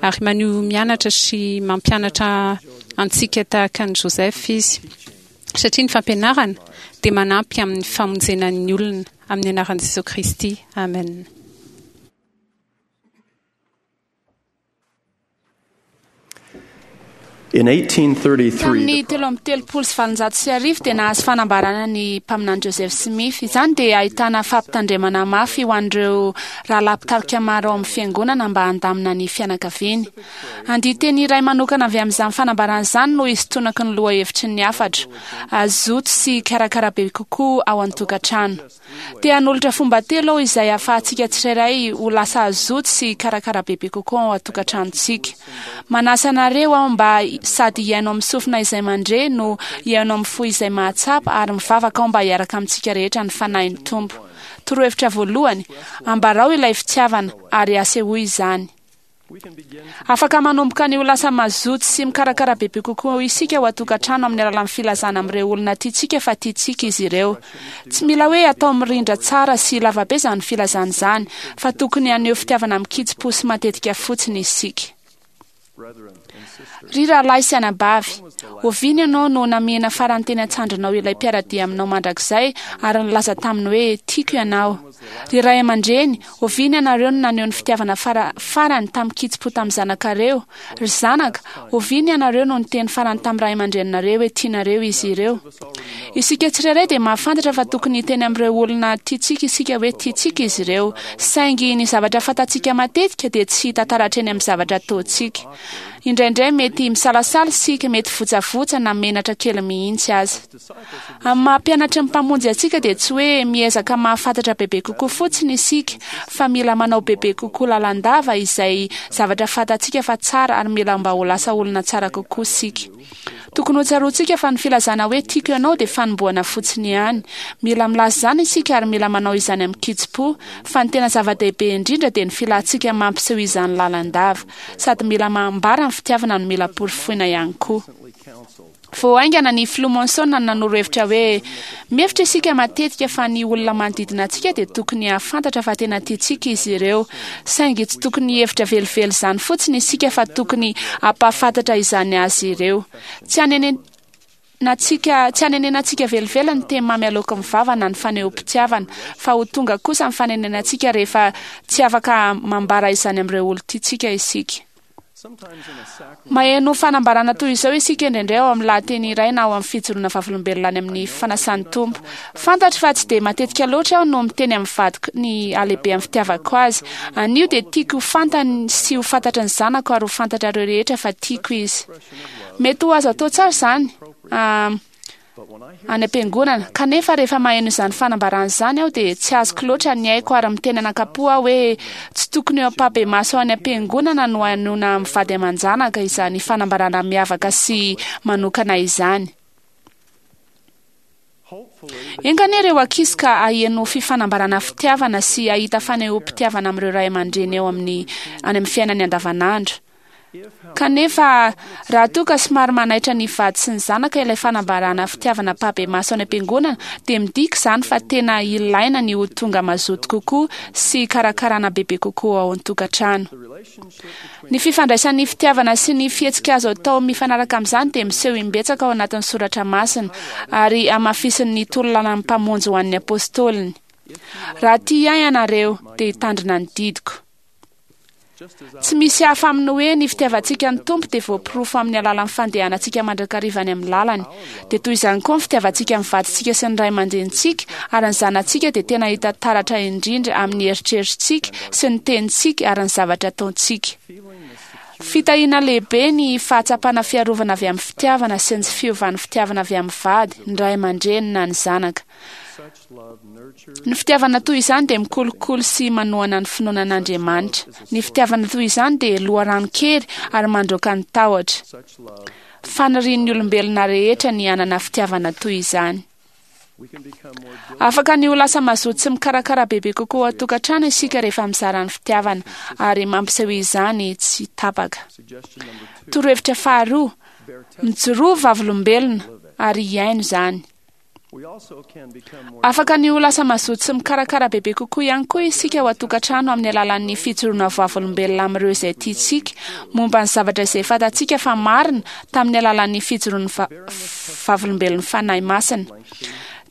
ary maneho mianatra sy mampianatra antsika tahaka an'i Joseph izy. Satria ny fampianarana dia manampy amin'ny famonjena ny olona amin'ny anaran'i Jesosy Kristy. Amen. In eighteen thirty-three, Tamin'ny telo amby telopolo sy valonjato sy arivo dia nahazo fanambarana ny mpaminany Joseph Smith. Izany dia ahitana fampitandremana mafy ho an'ireo rahalahy mpitarika maro ao amin'ny fiangonana mba handamina ny fianakaviany. Andinteny iray manokana avy amin'izany fanambarana izany no isintonako ny lohahevitry ny hafatra: azoto sy karakara be kokoa ao an-tokantrano. Te hanolotra fomba telo aho izay ahafahantsika tsirairay ho lasa azoto sy karakara bebe kokoa ao an-tokantranontsika. Manasa anareo aho mba sady hihaino amin'ny sofina izay mandre no hihaino amin'ny fo izay mahatsapa, ary mivavaka aho mba hiaraka amintsika rehetra ny fanahin'ny Tompo. Torohevitra voalohany: ambarao ilay fitiavana ary asehoy izany. Afaka manomboka ny ho lasa mazoto sy mikarakara bebe kokoa isika ao an-tokantrano amin'ny alalan'ny filazana amin'ireo olona tiantsika fa tiantsika izy ireo. Tsy mila hoe atao mirindra tsara sy lavabe izany filazana izany, fa tokony haneho fitiavana mikitsi-po sy matetika fotsiny isika. Ry rahalahy sy anabavy, oviana ianao no namihina farany teny an-tsandrinao ilay mpiara-dia aminao mandrakizay ary nilaza taminy hoe tiako ianao? Ry ray aman-dreny, oviana ianareo no naneho ny fitiavana fara, farany tamin'ny kitsi-po tamin'ny zanakareo? Ry zanaka, oviana ianareo no niteny farany tamin'ny ray aman-dreninareo hoe tianareo izy ireo? Isika tsirairay dia mahafantatra fa tokony hiteny amin'ireo olona tiantsika isika hoe tiantsika izy ireo, saingy ny zavatra fantatsika matetika dia tsy hita taratra eny amin'ny zavatra ataontsika. Indraindray mety misalasala isika, mety votsavotsa na menatra kely mihitsy aza. Amin'ny maha mpianatry ny Mpamonjy antsika dia tsy hoe miezaka mahafantatra bebe kokoa fotsiny isika, fa mila manao bebe kokoa lalandava izay zavatra fantatsika fa tsara, ary mila mba ho lasa olona tsara kokoa isika. Tokony ho tsaroantsika fa ny filazana hoe tiako ianao dia fanombohana fotsiny ihany. Mila milaza izany isika ary mila manao izany amin'ny kitsi-po, fa ny tena zava-dehibe indrindra dia ny filantsika mampiseho izany lalandava. Sady mila mambara ny fitiavana no mila porofoina ihany koa. Vao haingana ny filoha Monson no nanoro hevitra hoe mihevitra isika matetika fa ny olona manodidina antsika dia tokony hahafantatra fa tena tiantsika izy ireo, saingy tsy tokony hihevitra velively izany fotsiny isika fa tokony hampahafantatra izany azy ireo. Tsy hanenenantsika, tsy hanenenantsika velively ny teny mamy aloaky ny vava na ny fanehoam-pitiavana, fa ho tonga kosa ny fanenenantsika rehefa tsy afaka mambara izany amin'ireo olon-tiantsika isika. Maheno fanambarana toy izao isika indraindray ao amin'ny lahateny iray na ao amin'ny fijoroana vavolombelona any amin'ny fanasan'ny Tompo. Fantatro fa tsy dia matetika loatra aho no miteny amin'ny vadiko ny halehibe amin'ny fitiavako azy. Anio dia tiako ho fantany sy ho fantatry ny zanako ary ho fantatrareo rehetra fa tiako izy. Mety ho azo atao tsara izany any am-piangonana, kanefa rehefa maheno izany fanambarana izany aho dia tsy azoko loatra ny aiko ary miteny anankapo aho hoe tsy tokony eo am-pahibemaso any am-piangonana no hainoana amin'ny vady aman-janaka izany fanambarana miavaka sy manokana izany. Enga anie ireo ankizy ka haheno fifanambarana fitiavana sy hahita fanehoam-pitiavana amin'ireo ray aman-dreny eo amin'ny any amin'ny fiainany andavanandro. Kanefa raha toa ka somary manaitra ny vady sy ny zanaka ilay fanambarana fitiavana ampahibemaso any am-piangonana, dia midika izany fa tena ilaina ny ho tonga mazoto kokoa sy karakarana bebe kokoa ao an-tokantrano. Ny fifandraisan'ny fitiavana sy ny fihetsika azo atao mifanaraka amin'izany dia miseho imbetsaka ao anatin'ny soratra masina ary hamafisin'ny torolalany Mpamonjy ho an'ny apôstôliny. Raha tia ahy ianareo, dia hitandrina ny didiko. Tsy misy hafa amin'ny hoe ny fitiavantsika ny Tompo dia voaporofo amin'ny alalan'ny fandehanantsika mandrakariva any amin'ny lalany. Dia toy izany koa ny fitiavantsika ny vadintsika sy ny ray aman-drenintsika ary ny zanatsika dia tena hita taratra indrindra amin'ny eritreritsika sy ny tenintsika ary ny zavatra ataontsika. Fitahiana lehibe ny fahatsapana fiarovana avy amin'ny fitiavana sy ny fiovan'ny fitiavana avy amin'ny vady, ny ray aman-dreny na ny zanaka. Ny fitiavana toy izany dia mikolokolo sy manohana ny finoana an'Andriamanitra. Ny fitiavana toy izany dia loharanon-kery ary mandroaka ny tahotra. Fanirian'ny olombelona rehetra ny hanana fitiavana toy izany. Afaka ny ho lasa mazoto sy mikarakara bebe kokoa an-tokantrano isika rehefa mizara ny fitiavana ary mampiseho izany tsy tapaka. Torohevitra faharoa, mijoroa vavolombelona ary hiaino izany. Afaka ny ho lasa mazoto sy mikarakara bebe kokoa ihany koa isika ao an-tokantrano amin'ny alalan'ny fijoroana vavolombelona amin'ireo izay tiantsika momba ny zavatra izay fantatsika fa marina tamin'ny alalan'ny fijoroan'ny vavolombelon'ny Fanahy Masina.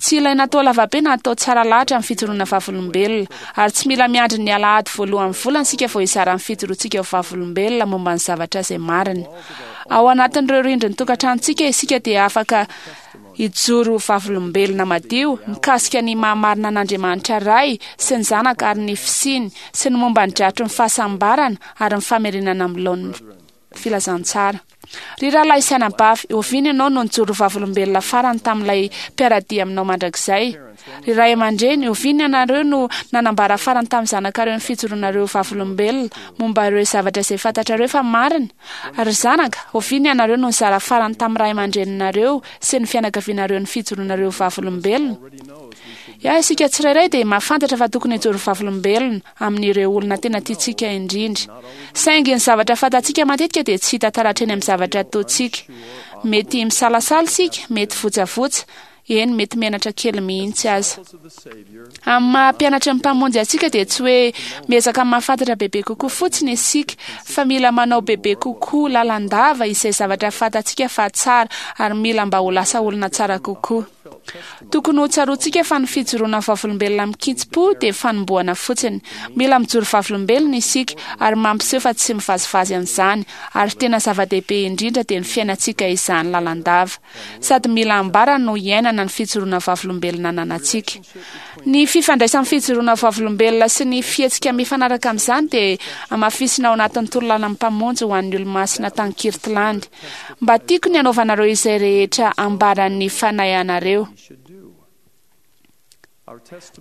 Tsy ilaina atao lavabe na atao tsara lahatra ny fijoroana vavolombelona, ary tsy mila miandry ny alahady voalohan'ny volana isika vao hizara ny fijoroantsika ho vavolombelona momba ny zavatra izay marina. Ao anatin'ireo rindrin'ny tokantranontsika isika dia afaka hijoro vavolombelona madio mikasika ny mahamarina an'Andriamanitra Ray sy ny Zanaka ary ny fisiany sy ny momba ny dratry ny fahasambarana ary ny famerenana amin'ny laoniny filazantsara. Ry rahalahy sy anabavy, oviana ianao no nijoro vavolombelona farany tamin'ilay mpiara-dia aminao mandrakizay? Ry ray aman-dreny, oviana ianareo no nanambara farany tamin'ny zanakareo ny fijoroanareo vavolombelona momba ireo zavatra izay fantatrareo fa marina? Ry zanaka, oviana ianareo no nizara farany tamin'ny ray aman-dreninareo sy ny fianakavianareo ny fijoroanareo vavolombelona? Ya, isika tsirairay dia mahafantatra fa tokony hijoro vavolombelona amin'ireo olona tena tiantsika indrindra. Saingy ny zavatra fantatsika matetika dia tsy hita taratra eny amin'ny zavatra ataontsika. Mety misalasala isika, mety votsavotsa, eny mety menatra kely mihitsy aza. Amin'ny maha mpianatra ny Mpamonjy antsika dia tsy hoe miezaka mahafantatra bebe kokoa fotsiny isika, fa mila manao bebe kokoa lalandava izay zavatra fantatsika fa tsara ary mila mba ho lasa olona tsara kokoa. Tokony ho tsaroantsika fa ny fijoroana vavolombelona mikitsim-po dia fanombohana fotsiny. Mila mijoro vavolombelona isika ary mampiseho fa tsy mivazivazy an'izany, ary tena zava-dehibe indrindra dia ny fiainantsika izany lalandava. Sady mila ambara no iainana ny fijoroana vavolombelona ananantsika. Ny fifandraisan'ny fijoroana vavolombelona sy ny fihetsika mifanaraka amin'izany dia hamafisina ao anatin'ny torolalan'ny Mpamonjy ho an'ny olo-masina tany Kirtland. Mba tiako ny hanaovanareo izay rehetra ambaran'ny Fanahy anareo.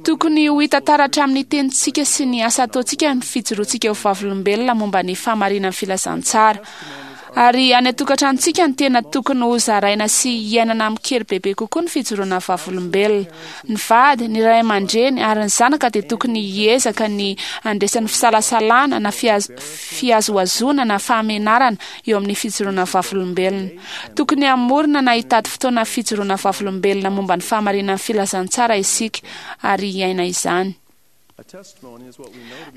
Tokony ho hita taratra amin'ny tenintsika sy ny asa ataontsika ny fijoroantsika ho vavolombelona momba ny fahamarinan'ny filazantsara. Ary any an-tokantranontsika ny tena tokony ho zaraina sy hiainana amin-kery bebe kokoa ny fijoroana vavolombelona. Ny vady, ny ray aman-dreny ary ny zanaka dia tokony hiezaka ny handresan'ny fisalasalana na fihazohazoana na fahamenarana eo amin'ny fijoroana vavolombelona. Tokony hamorona na hitady fotoana fijoroana vavolombelona momba ny fahamarinan'ny filazantsara isika ary hiaina izany.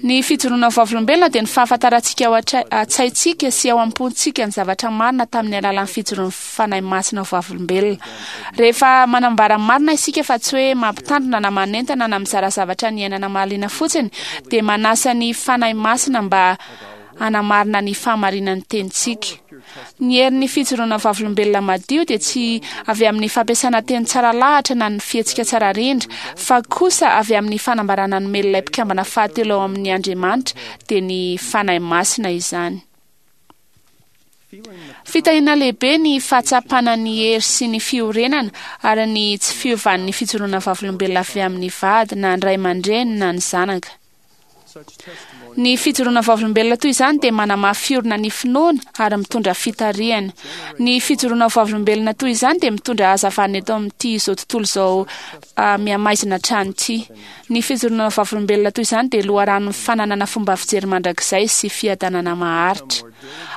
Ny fijoroana vavolombelona dia ny fahafantarantsika ao an-tsaintsika sy ao am-pontsika ny zavatra marina tamin'ny alalan'ny fijoroan'ny Fanahy Masina ho vavolombelona. Rehefa manambara marina isika fa tsy hoe mampitandrina na manentana na mizara zavatra niainana mahaliana fotsiny, dia manasa ny Fanahy Masina mba hanamarina ny fahamarinan'ny tenintsika. Ny herin'ny fijoroana vavolombelona madio dia tsy avy amin'ny fampiasana teny tsara lahatra na ny fihetsika tsara rindra, fa kosa avy amin'ny fanambarana nomen'ilay mpikambana fahatelo ao amin'ny Andriamanitra, dia ny Fanahy Masina izany. Fitahiana lehibe ny fahatsapana ny hery sy ny fiorenana ary ny tsy fiovan'ny fijoroana vavolombelona avy amin'ny vady na ny ray aman-dreny na ny zanaka. Ny fijoroana vavolombelona toy izany dia manamafy orina ny finoana ary mitondra fitarihana. Ny fijoroana vavolombelona toy izany dia mitondra hazavana eto amin'ity izao tontolo izao mihamaizina hatrany ity. Ny fijoroana vavolombelona toy izany dia loharanon'ny fananana fomba fijery mandrakizay sy fiadanana maharitra.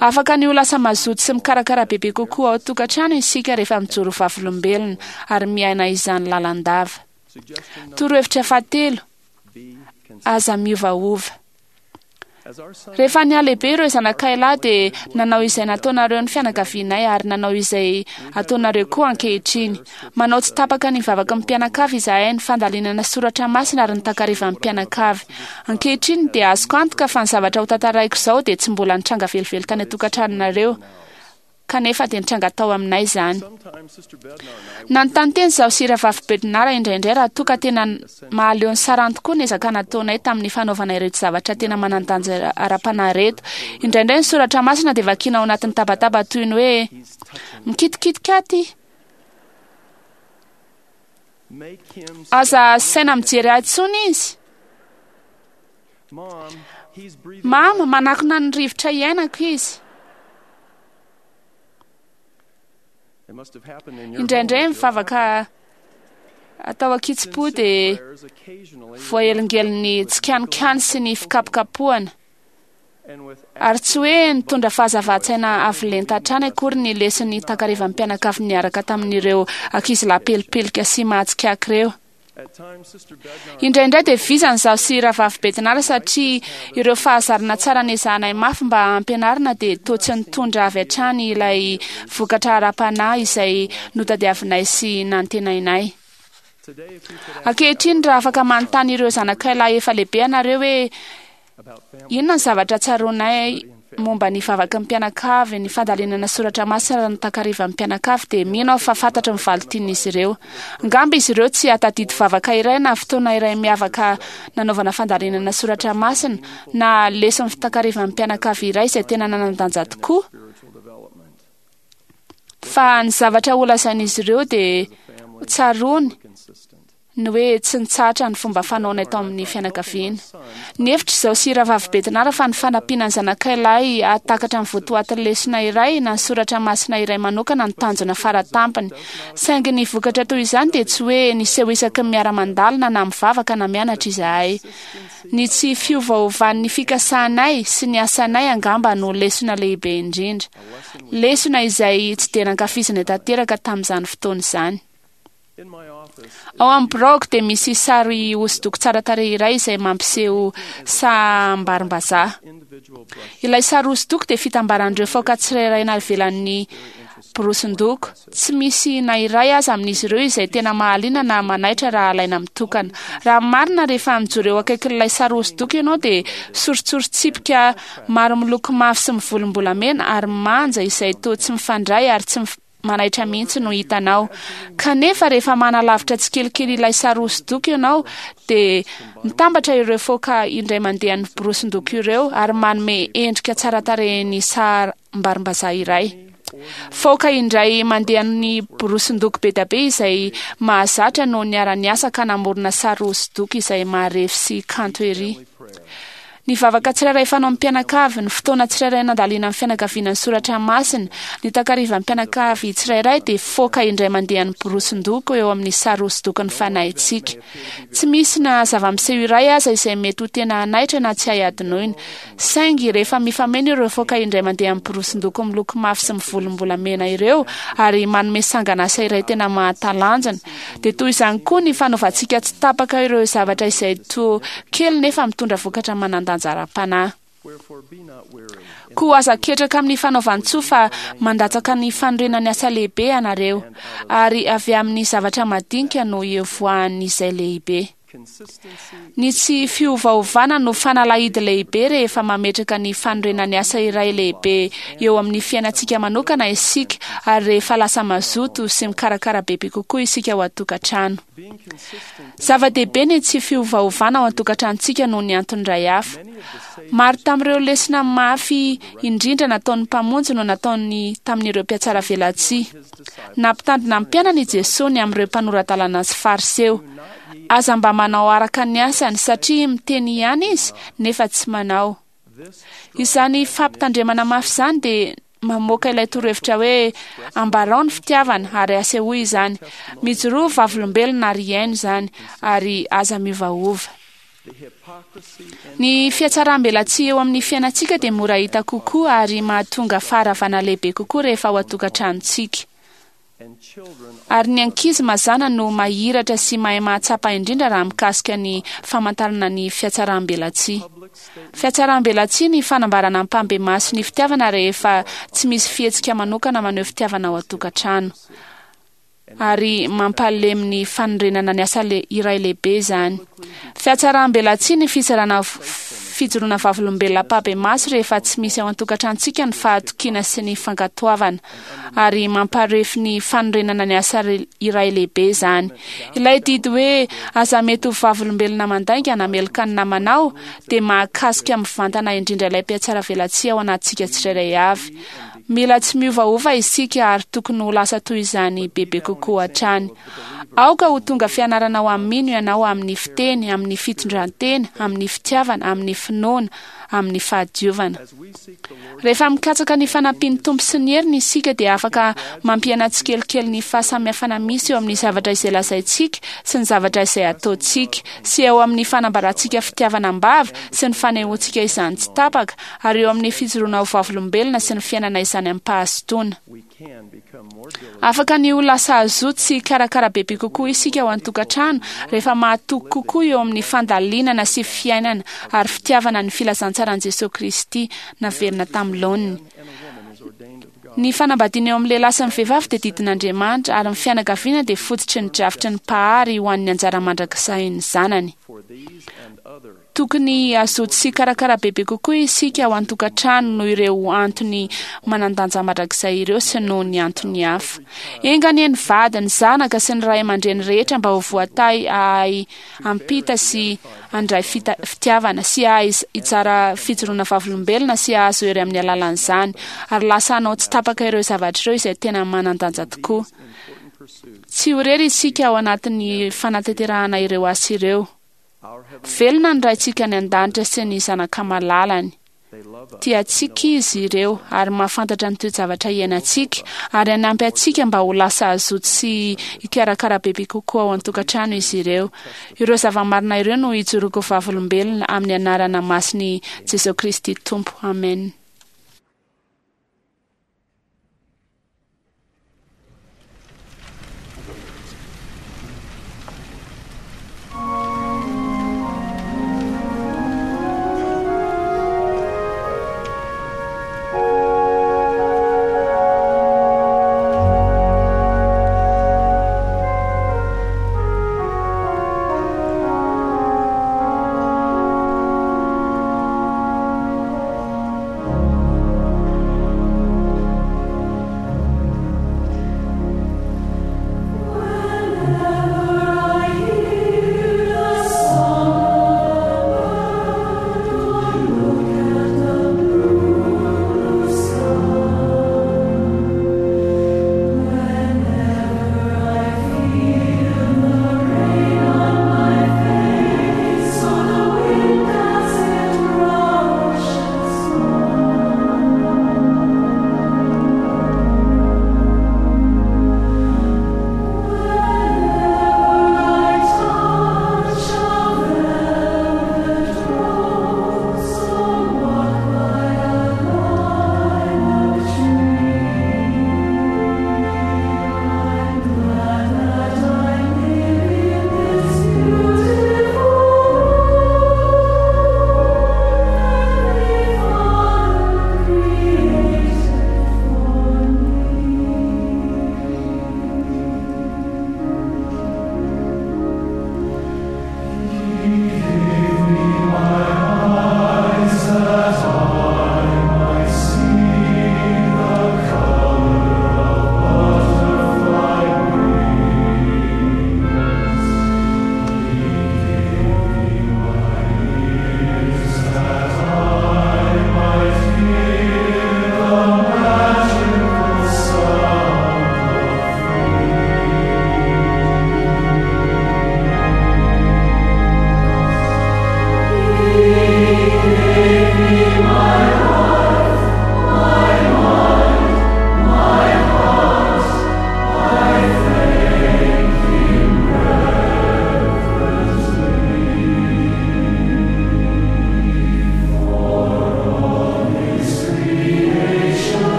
Afaka ny ho lasa mazoto sy mikarakara bebe kokoa ao an-tokantrano isika rehefa mijoro vavolombelona ary miaina izany lalandava. Torohevitra fahatelo, aza miovaova. Rehefa nihalehibe ireo zanakay lahy dia nanao izay nataonareo ny fianakavianay ary nanao izay ataonareo koa ankehitriny. Manao tsy tapaka ny vavaky ny mpianakavy izahay, ny fandalinana soratra masina ary ny takarivan'ny mpianakavy. Ankehitriny dia azoko antoka fa ny zavatra ho tantaraiko izao dia tsy mbola nitranga velively tany an-tokantranonareo, kanefa dia nitranga tao aminay izany. Nanontany teny izaho sy Rahavavy Bednar indraindray raha toa ka tena mahaleo ny sarany tokoa ny ezaka nataonay tamin'ny fanaovana ireto zavatra tena manan-danja ara-panahy ireto. Indraindray ny soratra masina dia vakiana ao anatin'ny tabataba toy ny hoe mikitikitika aty. Aza asaina mijery ahy intsony izy. Mama, manakona ny rivotra iainako izy. Indraindray mivavaka Atao ankitsim-po dia voahelingelin'ny tsikanikany sy ny fikapokapohana. Ary tsy hoe nitondra fahazavan-tsaina avo lenta hatrany akory ny leson'ny takarivan'ny mpianakavy niaraka tamin'ireo ankizilahy pelipelika sy mahatsikaiky ireo. Indraindray dia vizana izaho sy rahavavy Bednar satria ireo fahazarana tsara nezahanay mafy mba hampianarina dia toa tsy nitondra avy hatrany ilay vokatra ara-panahy izay notadiavinay sy nantenainay. Ankehitriny, raha afaka manontany ireo zanakay lahy efa lehibe ianareo hoe inona ny zavatra tsaroanay momba ny vavaky ny mpianakavy, ny fandalinana soratra masina ny takarivan'ny mpianakavy, dia mino aho fa fantatry ny valin-tenin'izy ireo. Angamba izy ireo tsy hahatadidy vavaka iray na fotoana iray miavaka nanaovana fandalinana soratra masina na leson'ny takarivan'ny mpianakavy iray izay tena nanan-danja tokoa. Fa ny zavatra holazain'izy ireo dia tsaroany ny hoe tsy nitsahatra ny fomba fanaonay tao amin'ny fianakaviana. Nihevitra izaho sy rahavavy Bednar fa ny fanampiana ny zanakay lahy hahatakatra ny votoatin'ny lesona iray na ny soratra masina iray manokana ny tanjona faratampony. Saingy ny vokatra toy izany dia tsy hoe niseho isaky ny miara-mandalina na mivavaka na mianatra izahay. Ny tsy fiovaovan'ny fikasanay sy ny asanay angamba no lesona lehibe indrindra. Lesona izay tsy dia nankafizina tanteraka tamin'izany fotoana izany. Ao amin'ny biraoko dia misy sary hosodoko tsara tarehy iray izay mampiseho saham-barimbazaha. Ilay sary hosodoko dia fitambaran'ireo faoka tsirairay navelan'ny borosindoko. Tsy misy na iray aza amin'izy ireo izay tena mahaliana na manaitra raha alaina mitokana. Raha marina, rehefa mijoro eo akaikin'ilay sary hosodoko ianao dia soritsoritsipika maro miloko mavo sy mivolombolamena ary manja izay toa tsy mifandray ary tsy manaitra mihitsy no hitanao. Kanefa rehefa manalavitra tsikelikely ilay sary hosodoko ianao dia mitambatra ireo faoka indray mandeha ny borosindoko ireo ary manome endrika tsara tarehin'ny saham-barimbazaha iray. Faoka indray mandeha ny borosindoko be dia be izay mahazatra no niara-niasa ka namorona sary hosodoko izay maharefy sy kanto ery. Ny vavaka tsirairay fanao amin'ny mpianakavy, ny fotoana tsirairay nandalina amin'ny fianakaviana ny soratra masina, ny takarivan'ny mpianakavy tsirairay dia faoka indray mandeha ny borosindoko eo amin'ny sary hosodokon'ny fanahintsika. Tsy misy na zava-miseho iray aza izay mety ho tena hanaitra na tsy hay hadinoina. Saingy rehefa mifameno ireo faoka indray mandeha amin'ny borosindoko miloko mavo sy mivolombolamena ireo ary manome sanganasa iray tena mahatalanjona, dia toy izany koa ny fanaovantsika tsy tapaka ireo zavatra izay toa kely nefa mitondra vokatra manan-danja ara-panahy. Koa aza ketraka amin'ny fanaovan-tsoa fa mandatsaka ny fanorenan'ny asa lehibe ianareo, ary avy amin'ny zavatra madinika no ivoahan'izay lehibe. Ny tsy fiovaovana no fanalahidy lehibe rehefa mametraka ny fanorenan'ny asa iray lehibe eo amin'ny fiainantsika manokana isika, ary rehefa lasa mazoto sy mikarakara bebe kokoa isika ao an-tokantrano. Zava-dehibe ny tsy fiovaovana ao an-tokantranontsika noho ny antony iray hafa. Maro tamin'ireo lesona mafy indrindra nataon'ny Mpamonjy no nataony tamin'ireo mpihatsaravelatsihy. Nampitandrina ny mpianany i Jesoa ny amin'ireo mpanora-dalàna sy fariseo. Aza mba manao araka ny asany satria miteny ihany izy nefa tsy manao. Izany fampitandremana mafy izany dia mamoaka ilay torohevitra hoe ambarao ny fitiavana ary asehoy izany. Mijoroa vavolombelona ary iaino izany ary aza miovaova. Ny fihatsaram-belatsihy eo amin'ny fiainantsika dia mora hita kokoa ary mahatonga faharavana lehibe kokoa rehefa ao an-tokantranontsika. Ary ny ankizy mazàna no mahiratra sy mahay mahatsapa indrindra raha mikasika ny famantarana ny fihatsaram-belatsihy. Fihatsaram-belatsihy ny fanambarana ampahibemaso ny fitiavana rehefa tsy misy fihetsika manokana maneho fitiavana ao an-tokantrano. Ary mampalemy ny fanorenana ny asa iray lehibe izany. Fihatsaram-belatsihy ny fizarana fijoroana vavolombelona ampahibemaso rehefa tsy misy ao an-tokantranontsika ny fahatokiana sy ny fankatoavana, ary mamparefy ny fanorenana ny asa iray lehibe izany. Ilay didy hoe aza mety ho vavolombelona mandainga na meloka ny namanao dia mahakasika mivantana indrindra ilay mpihatsaravelatsihy ao anatintsika tsirairay avy. Mila tsy miovaova isika ary tokony ho lasa toy izany bebe kokoa hatrany. Aoka ho tonga fianarana ho amin'ny mino ianao amin'ny fiteny, amin'ny fitondrantena, amin'ny fitiavana, amin'ny finoana amin'ny fahadiovana. Rehefa mikatsaka ny fanampian'ny Tompo sy ny heriny isika dia afaka mampihena tsikelikely ny fahasamihafana misy eo amin'ny zavatra izay lazaintsika sy ny zavatra izay ataontsika, sy eo amin'ny fanambarantsika fitiavana am-bava sy ny fanehoantsika izany tsy tapaka, ary eo amin'ny fijoroana ho vavolombelona sy ny fiainana izany amim-pahazotoana. Afaka ny ho lasa hazoto sy hikarakara bebe kokoa isika ao an-tokantrano rehefa mahatoky kokoa eo amin'ny fandalinana sy fiainana ary fitiavana ny filazantsaran'i Jesosy Kristy naverina tamin'ny laoniny. Ny fanambadiana eo amin'ny lehilahy sy ny vehivavy dia didin'Andriamanitra, ary ny fianakaviana dia fototry ny drafitry ny Mpahary ho an'ny anjara mandrakizay ny zanany. Tokony hazoto sy hikarakara bebe kokoa isika ao an-tokantrano noho ireo antony manan-danja mandrakizay ireo sy noho ny antony hafa. Enga anie ny vady, ny zanaka sy ny ray aman-dreny rehetra mba ho voatahy hahay hampita sy handray fita- fitiavana sy hahay hizara fijoroana vavolombelona sy hahazo hery amin'ny alalan'izany, ary lasa hanao tsy tapaka ireo zavatra ireo izay tena manan-danja tokoa. Tsy ho irery isika ao anatin'ny fanatanterahana ireo asa ireo. Velona ny Raintsika any an-danitra sy ny zanaka malalany. Tiantsika izy ireo ary mahafantatra ny toe-javatra iainantsika, ary hanampy antsika mba ho lasa hazoto sy hikarakara bebe kokoa ao an-tokantrano izy ireo. Ireo zava-marina ireo no ijoroako vavolombelona amin'ny anarana masin'i Jesosy Kristy Tompo. Amen.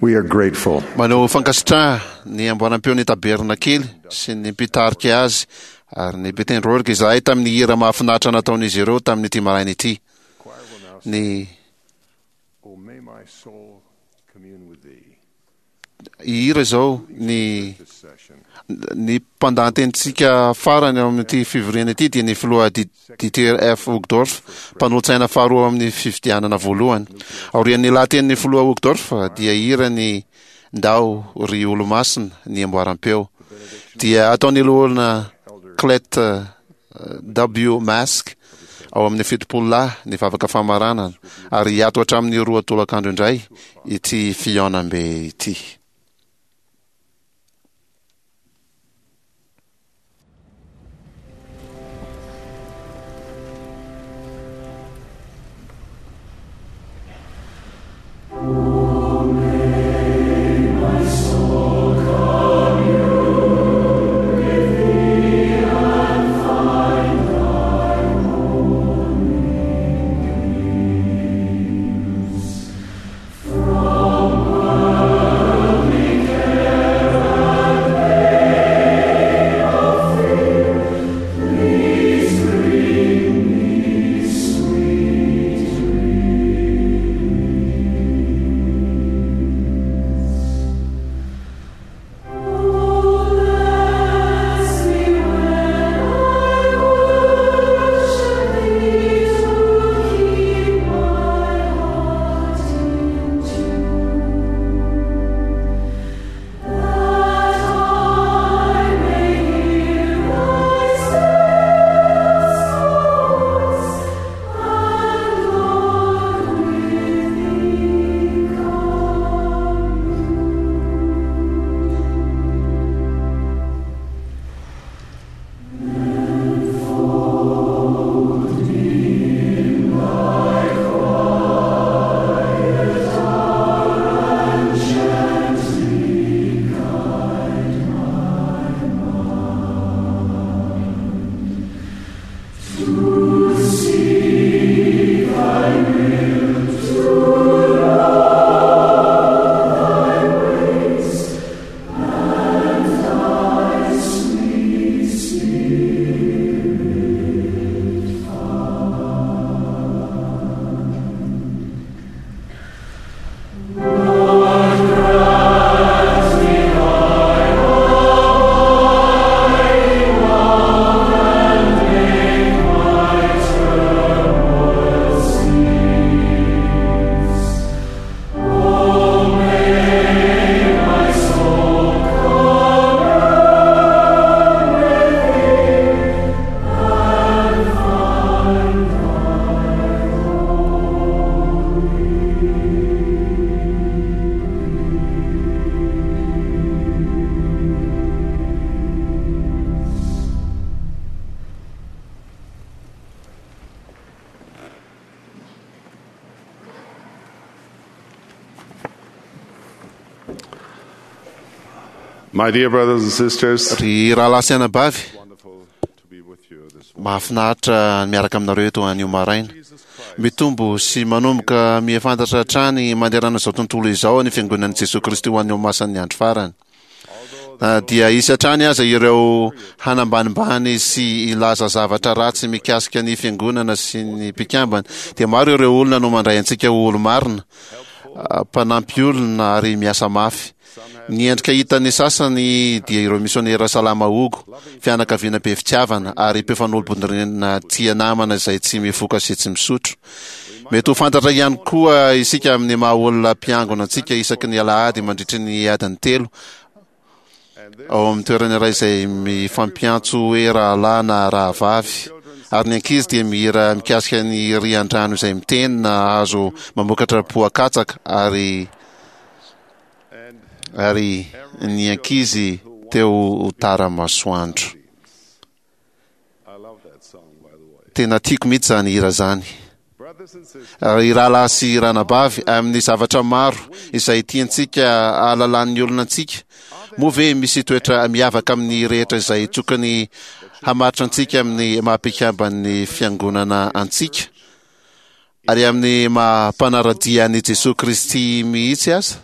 We are grateful. Manao fankasitraha ny amboaram-peo ny tabernakely sy ny mpitarika azy ary ny mpitendry orga izahay tamin'ny hira mahafinaritra nataon'izy ireo tamin'ity maraina ity. Ny hira izao ny ny mpandahatenintsika farany ao amin'ity fivoriana ity dia ny filoha Dieter F. Uchtdorf, mpanolotsaina faharoa amin'ny fifidianana voalohany. Aorian'ny lahatenin'ny filoha Uchtdorf dia hira ny Ndao ry olo-masina ny amboaram-peo. Dia ataon'ny loholona Clet W. Mask ao amin'ny fitopolo lahy ny vavaka famaranana ary hiato hatramin'ny roa tolakandro indray ity fihaonambe ity. My dear brothers and sisters, Ry rahalahy sy anabavy, mahafinaritra ny miaraka aminareo eto anio maraina. Mitombo sy manomboka mihafantatra hatrany manerana izao tontolo izao ny fiangonan'i Jesoa Kristy ho an'ny olomasin'ny andro farany. Na dia hisy hatrany aza ireo hanambanimbany sy hilaza zavatra ratsy mikasika ny fiangonana sy ny mpikambana, dia maro ireo olona no mandray antsika ho olo-marina, mpanampy olona ary miasa mafy. Ny endrika hitan'ny sasany dia ireo misionera salama hogo, fianakaviana be fitiavana ary mpifanolo-bodirindrina tia namana izay tsy mifoka sy tsy misotro. Mety ho fantatra ihany koa isika amin'ny maha olona mpiangona antsika isaky ny alahady mandritry ny adiny telo ao amin'ny toerana iray izay mifampiantso hoe rahalahy na rahavavy, ary ny ankizy dia mihira mikasika ny rian-drano izay miteny na hazo mamokatra poa-katsaka ary ary ny ankizy teo ho tara masoandro. Tena tiako mihitsy zany hira zany. Ry rahalahy sy ranabavy, amin'ny zavatra maro izay tiantsika ahalalan'ny olona antsika, moa ve misy toetra miavaka amin'ny rehetra izay tokony hamaritra antsika amin'ny maha mpikamban'ny fiangonana antsika ary amin'ny maha mpanara-dia an'i Jesoa Kristy mihitsy aza?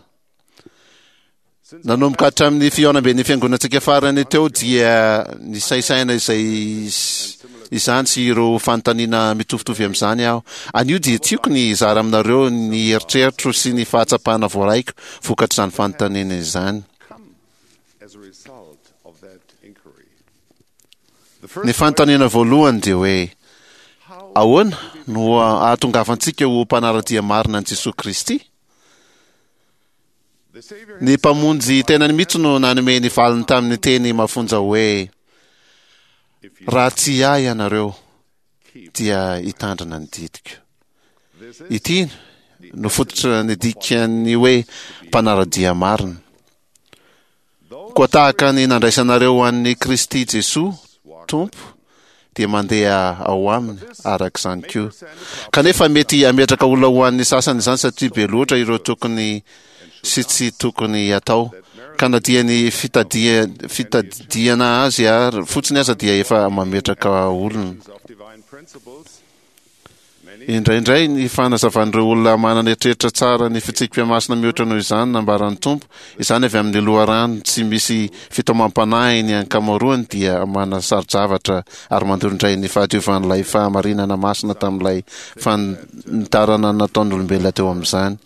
Nanomboka hatramin'ny fihaonamben'ny fiangonantsika farany teo dia nisainsaina izay izany sy ireo fanontaniana mitovitovy amin'izany aho. Anio dia tiako ny hizara aminareo ny eritreritro sy ny fahatsapana voaraiko vokatr'izany fanontaniana izany. Ny fanontaniana voalohany dia hoe, ahoana no ahatongavantsika ho mpanara-dia marina an'i Jesoa Kristy? Ny Mpamonjy tenany mihitsy no nanome ny valiny tamin'ny teny mafonja hoe, Raha tsy ahy ianareo, dia hitandrina ny didiko. Ity no fototra ny dikan'ny hoe mpanara-dia marina. Koa tahaka ny nandraisanareo an'i Kristy Jesoa Tompo, dia mandeha ao aminy araka izany koa. Kanefa mety hametraka olona ho an'ny sasany izany satria be loatra ireo tokony sy tsy tokony hatao, ka na dia ny fitadia, fitadidiana azy ary fotsiny aza dia efa mametraka olona. Indraindray ny fanazavan'ireo olona manana eritreritra tsara ny fitsipika masina mihoatra noho izany nambaran'ny Tompo, izany avy amin'ny loharano tsy misy fitaomam-panahy ny ankamaroany dia manasaro-javatra ary mandoro indray ny fahadiovan'ilay fahamarinana masina tamin'ilay fanitarana nataon'olombelona teo amin'izany.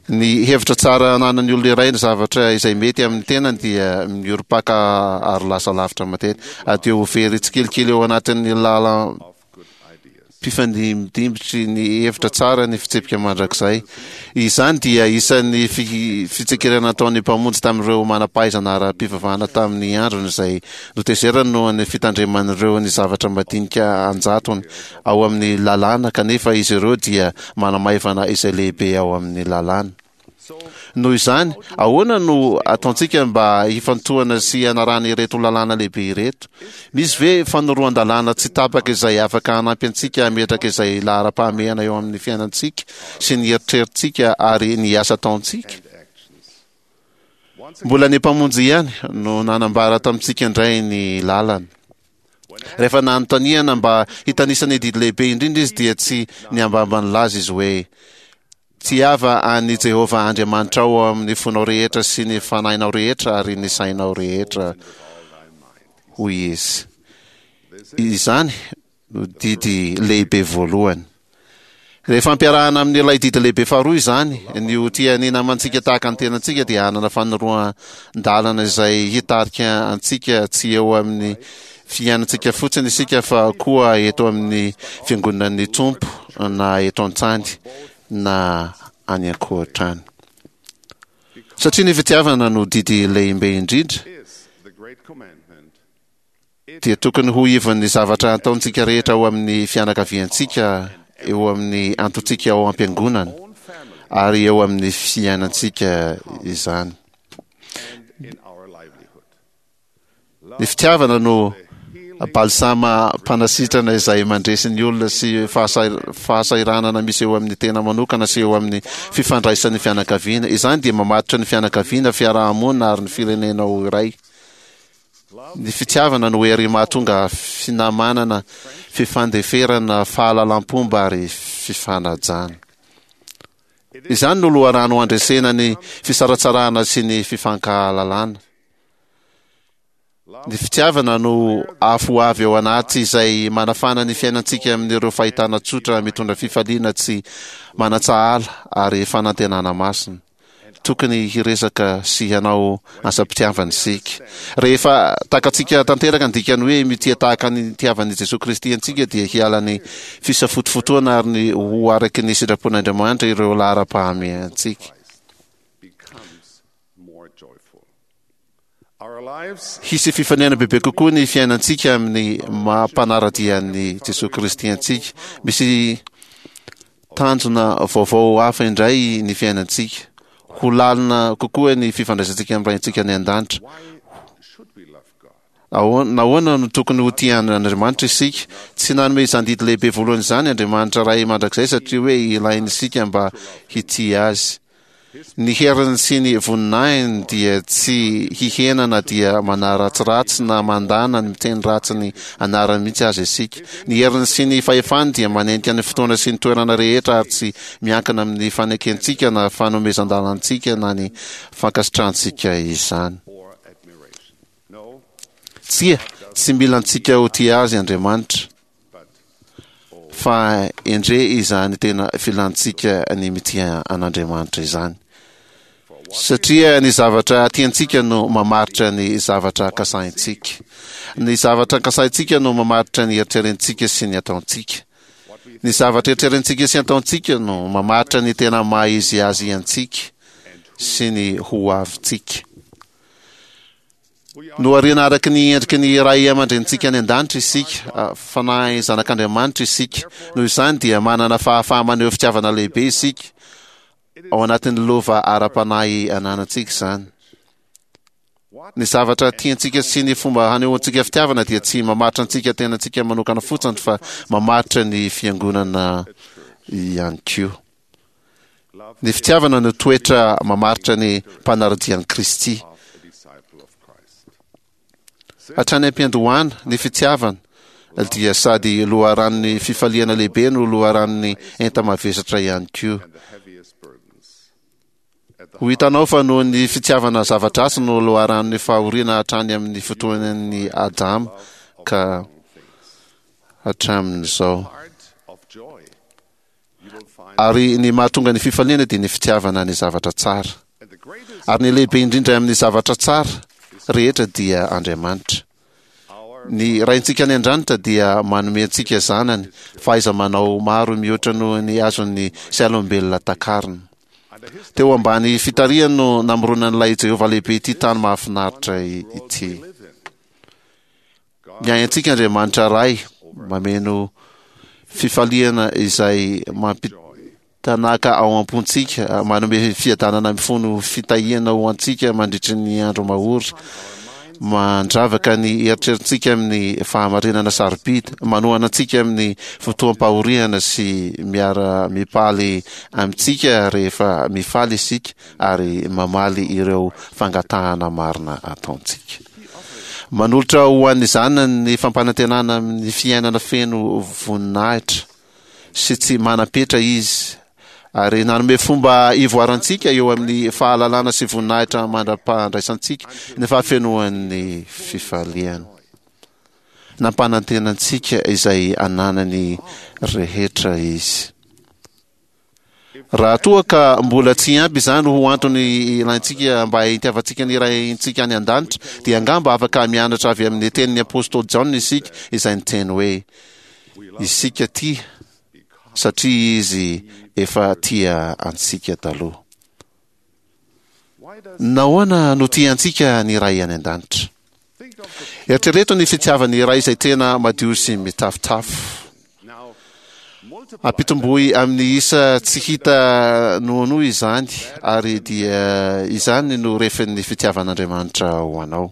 Ny hevitra tsara ananan'ny olona iray ny zavatra izay mety amin'ny tenany dia miorim-paka ary lasa lavitra matetika, ary dia ho very tsikelikely eo anatin'ny lalam-pifandimbidimbitry ny hevitra tsara ny fitsipika mandrakizay. Izany dia isan'ny fitsikirana nataon'ny Mpamonjy tamin'ireo manam-pahaizana ara-pivavahana tamin'ny androny izay notezerany noho ny fitandreman'ireo ny zavatra madinika an-jatony ao amin'ny lalàna kanefa izy ireo dia manamaivana izay lehibe ao amin'ny lalàna. Noho izany, ahoana no ataontsika mba hifantohana sy hanarahana ireto lalàna lehibe ireto? Misy ve fanoroan-dalàna tsy tapaka izay afaka hanampy antsika hametraka izay laharam-pahamehana eo amin'ny fiainantsika sy ny eritreritsika ary ny asa ataontsika? Mbola ny Mpamonjy ihany no nanambara tamintsika indray ny lalana. Rehefa nanontaniana mba hitanisa ny didy lehibe indrindra izy dia tsy niambamba nilaza izy hoe, Tiava an'i Jehovah Andriamanitrao ao amin'ny fonao rehetra sy ny fanahinao rehetra ary ny sainao rehetra, hoy izy. Izany no didy lehibe voalohany. Rehefa ampiarahana amin'ilay didy lehibe faharoa izany, ny ho tia ny namantsika tahaka ny tenantsika dia hanana fanoroan-dalana izay hitarika antsika tsy eo amin'ny fiainantsika fotsiny isika fa koa eto amin'ny fiangonan'ny Tompo na eto an-tany na any ankoatra any. Satria ny fitiavana no didy lehibe indrindra, dia tokony ho ivon'ny zavatra ataontsika rehetra ao amin'ny fianakaviantsika, eo amin'ny antontsika ao am-piangonana, ary eo amin'ny fiainantsika izany. Ny fitiavana no balsama mpanasitrana izay mandresy ny olona sy fahasahiranana misy eo amin'ny tena manokana sy eo amin'ny fifandraisan'ny fianakaviana. Izany dia mamatotra ny fianakaviana, fiarahamonina ary ny firenena ho iray. Ny fitiavana no hery mahatonga finamanana, fifandeferana, fahalalam-pomba ary fifanajana. Izany no loharano handresena ny fisaratsarahana sy ny fifankahalalana. Ny fitiavana no afo avy ao anaty izay manafana ny fiainantsika amin'ireo fahitana tsotra mitondra fifaliana tsy manan-tsahala ary fanantenana masina. Tokony hiresaka sy hanao asam-pitiavana isika. Rehefa takatsika tanteraka ny dikan'ny hoe mitia tahaka ny nitiavan'i Jesoa Kristy antsika dia hiala ny fisafotofotoana ary ny ho araky ny sitrapon'Andriamanitra ireo laharam-pahamehantsika. Hisy fifanena bebe kokoa ny fiainantsika amin'ny maha mpanara-dia an'i Jesoa Kristy antsika. Misy tanjona vaovao hafa indray ny fiainantsika. Ho lalina kokoa ny fifandraisantsika amin'ny Raintsika any an-danitra. Nahoana no tokony ho tia an'Andriamanitra isika? Tsy nanome izany didy lehibe voalohany izany Andriamanitra Ray mandrakizay satria hoe ilainy isika mba hitia Azy. Ny heriny sy ny voninahiny dia tsy hihena na dia manaratsiratsy na mandana ny miteny ratsy ny anarany mihitsy aza isika. Ny heriny sy ny fahefany dia manenika ny fotoana sy ny toerana rehetra ary tsy miankina amin'ny fanekentsika na fanomezan-dalantsika na ny fankasitrahantsika izany. Tsia, tsy mila antsika ho tia azy Andriamanitra, fa endre izany tena filantsika ny mitia an'Andriamanitra izany. Satria ny zavatra tiantsika no mamaritra ny zavatra kasahintsika. Ny zavatra kasahintsika no mamaritra ny eritrerentsika sy ny ataontsika. Ny zavatra eritrerentsika sy ataontsika no mamaritra ny tena maha izy azy antsika sy ny ho avintsika. Nohariana araka ny endriky ny ray aman-drenintsika any an-danitra isika, fanahy zanak'Andriamanitra isika. Noho izany dia manana fahafaha-maneho fitiavana lehibe isika ao anatin'ny lova ara-panahy ananantsika izany. Ny zavatra tiantsika sy ny fomba hanehoantsika fitiavana dia tsy mamaritra antsika tenantsika manokana fotsiny fa mamaritra ny fiangonana ihany koa. Ny fitiavana no toetra mamaritra ny mpanara-dia an'i Kristy. Hatrany am-piandohana, ny fitiavana dia sady loharanon'ny fifaliana lehibe no loharanon'ny enta-mavesatra ihany koa. Ho hitanao fa noho ny fitiavana zava-dratsy no loharanon'ny fahoriana hatrany amin'ny fotoanan'i Adama ka hatramin'izao. Ary ny mahatonga ny fifaliana dia ny fitiavana ny zavatra tsara. Ary ny lehibe indrindra amin'ny zavatra tsara rehetra dia Andriamanitra. Ny Raintsika any an-danitra dia manome antsika zanany fahaiza-manao maro mihoatra noho ny azon'ny sain'olombelona takarina. Teo ambany fitarihany no namoronan'ilay Jehovah lehibe ity tany mahafinaritra ity. Miahy antsika Andriamanitra Ray, mameno fifaliana izay mampitanaka ao am-pontsika, manome fiadanana mifono fitahiana ho antsika mandritry ny andro mahory, mandravaka ny eritreritsika amin'ny fahamarinana sarobidy, manohana antsika amin'ny fotoam-pahoriana sy miara-mipaly amintsika rehefa mifaly isika ary mamaly ireo fangatahana marina ataontsika. Manolotra ho an'ny zanany ny fampanantenana amin'ny fiainana feno voninahitra sy tsy manam-petra izy, ary nanome fomba ivoarantsika eo amin'ny fahalalana sy voninahitra mandra-pahandraisantsika ny fahafenoan'ny fifaliana. Nampanantena antsika izay ananany rehetra izy. Raha toa ka mbola tsy ampy izany ho antony ilaintsika mba hitiavantsika ny Raintsika any an-danitra, dia angamba afaka mianatra avy amin'ny tenin'ny apostoly Jaona isika izay niteny hoe, Isika tia satria izy efa tia antsika taloha. Nahoana no tia antsika ny Ray any an-danitra? Eritrereto ny fitiavan'ny Ray izay tena madio sy mitafotafo. Ampitomboy amin'ny isa tsy hita noanoa izany, ary dia izany no refin'ny fitiavan'Andriamanitra ho anao.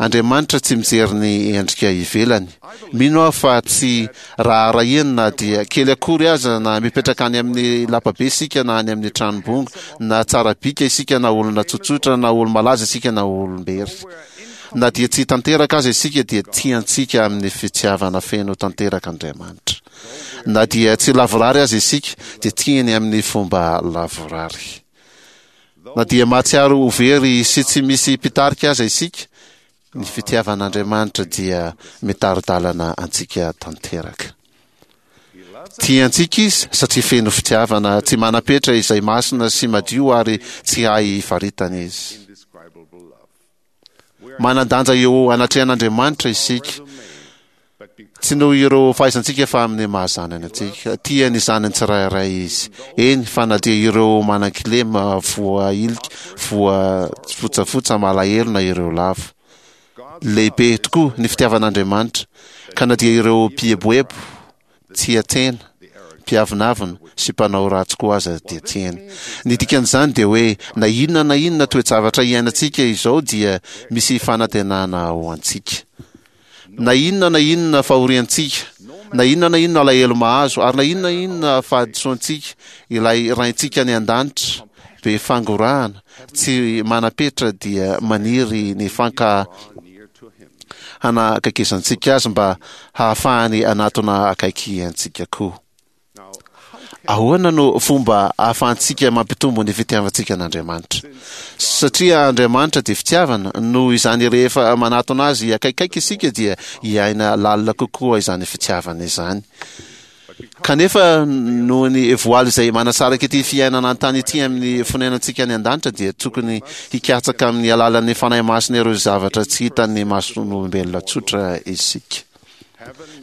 Andriamanitra tsy mijery ny endrika ivelany. Mino aho fa tsy raharahiany na dia kely akory aza na mipetraka any amin'ny lapabe isika na any amin'ny tranom-bongo, na tsara bika isika na olona tsotsotra, na olo-malaza isika na olom-bery. Na dia tsy tanteraka aza isika dia tia antsika amin'ny fitiavana feno tanteraka Andriamanitra. Na dia tsy lavorary aza isika dia tiany amin'ny fomba lavorary. Na dia mahatsiaro ho very sy tsy misy mpitarika aza isika, ny fitiavan'Andriamanitra dia mitari-dalana antsika tanteraka. Tia antsika izy satria feno fitiavana tsy manam-petra izay masina sy madio ary tsy hay faritana izy. Manan-danja eo anatrehan'Andriamanitra isika, tsy noho ireo fahaizantsika fa amin'ny maha zanany antsika. Tia ny zanany tsirairay izy, eny fa na dia ireo manan-kilema, voahilika, voafotsafotsa, malahelo na ireo lavo. Lehibe tokoa ny fitiavan'Andriamanitra, ka na dia ireo mpieboebo, tia tena, mpiavonavona sy mpanao ratsy koa aza dia tiany. Ny dikan'izany dia hoe na inona na inona toe-javatra iainantsika izao dia misy fanantenana ho antsika. Na inona na inona fahoriantsika, na inona na inona alahelo mahazo, ary na inona na inona fahadisoantsika, ilay Raintsika any an-danitra be fangorahana tsy manam-petra dia maniry ny fanka hanakaikezantsika azy mba hahafahany hanatona akaiky antsika koa. Ahoana no fomba ahafahantsika mampitombo ny fitiavantsika an'Andriamanitra? Satria Andriamanitra dia fitiavana, noho izany rehefa manatona azy akaikaiky isika dia hiaina lalina kokoa izany fitiavana izany. Kanefa noho ny voaly izay manasaraka ity fiainana an-tany ity amin'ny fonenantsika any an-danitra dia tokony hikatsaka amin'ny alalan'ny Fanahy Masina ireo zavatra tsy hitan'ny mason'olombelona tsotra isika.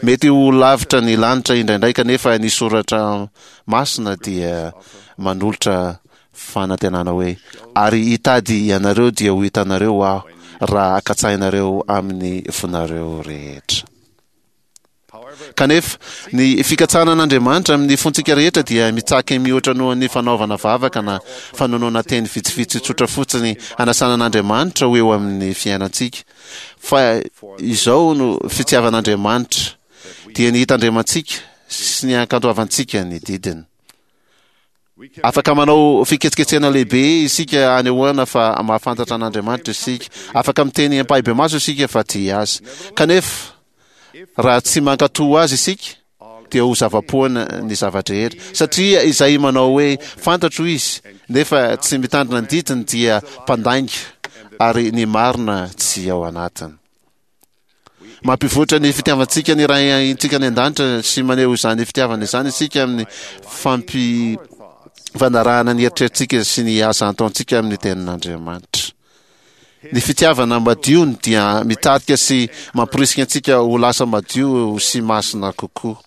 Mety ho lavitra ny lanitra indraindray, kanefa ny Soratra Masina dia manolotra fanantenana hoe, Ary hitady ianareo dia ho hitanareo Aho, raha katsahinareo amin'ny fonareo rehetra. Kanefa, ny fikatsahana an'Andriamanitra amin'ny fontsika rehetra dia mitsaky mihoatra noho ny fanaovana vavaka na fanonona teny vitsivitsy tsotra fotsiny hanasana an'Andriamanitra ho eo amin'ny fiainantsika. Fa izao no fitiavan'Andriamanitra, dia ny hitandremantsika sy ny hankantoavantsika ny didiny. Afaka manao fiketsiketsehana lehibe isika hanehoana fa mahafantatra an'Andriamanitra isika. Afaka miteny ampahibemaso isika fa tia Azy. Kanefa, raha tsy mankatò Azy isika, dia ho zava-poana ny zava-drehetra. Satria izay manao hoe, Fantatro Izy, nefa tsy mitandrina ny didiny dia mpandainga, ary ny marina tsy ao anatiny. Mampivoatra ny fitiavantsika ny Raintsika any an-danitra sy maneho izany fitiavana izany isika amin'ny fampifanarahana ny eritreritsika sy ny asa ataontsika amin'ny tenin'Andriamanitra. Ny fitiavana madiony dia mitarika sy mamporisika antsika ho lasa madio sy masina kokoa.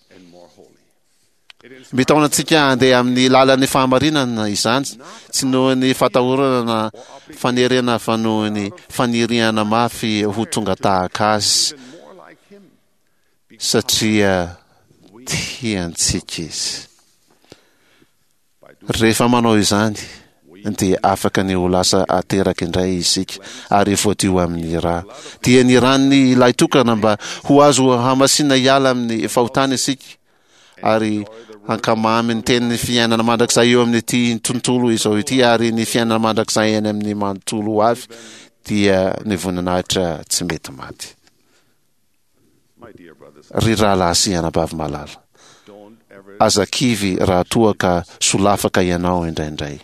Mitaona antsika handeha amin'ny lalan'ny fahamarinana izany, tsy noho ny fatahorana na fanerena fa noho ny faniriana mafy ho tonga tahaka Azy, satria tiantsika Izy. Rehefa manao izany, dia afaka ny ho lasa ateraka indray isika ary voadio amin'ny ra. Dia ny ran'ny Ilay Tokana mba ho azo hamasina hiala amin'ny fahotana isika ary hankamamy ny tenin'ny fiainana mandrakizay eo amin'ity tontolo izao ity ary ny fiainana mandrakizay any amin'ny manontolo ho avy, dia ny voninahitra tsy mety maty. Ry rahalahy sy anabavy malala, aza kivy raha toa ka solafaka ianao indraindray.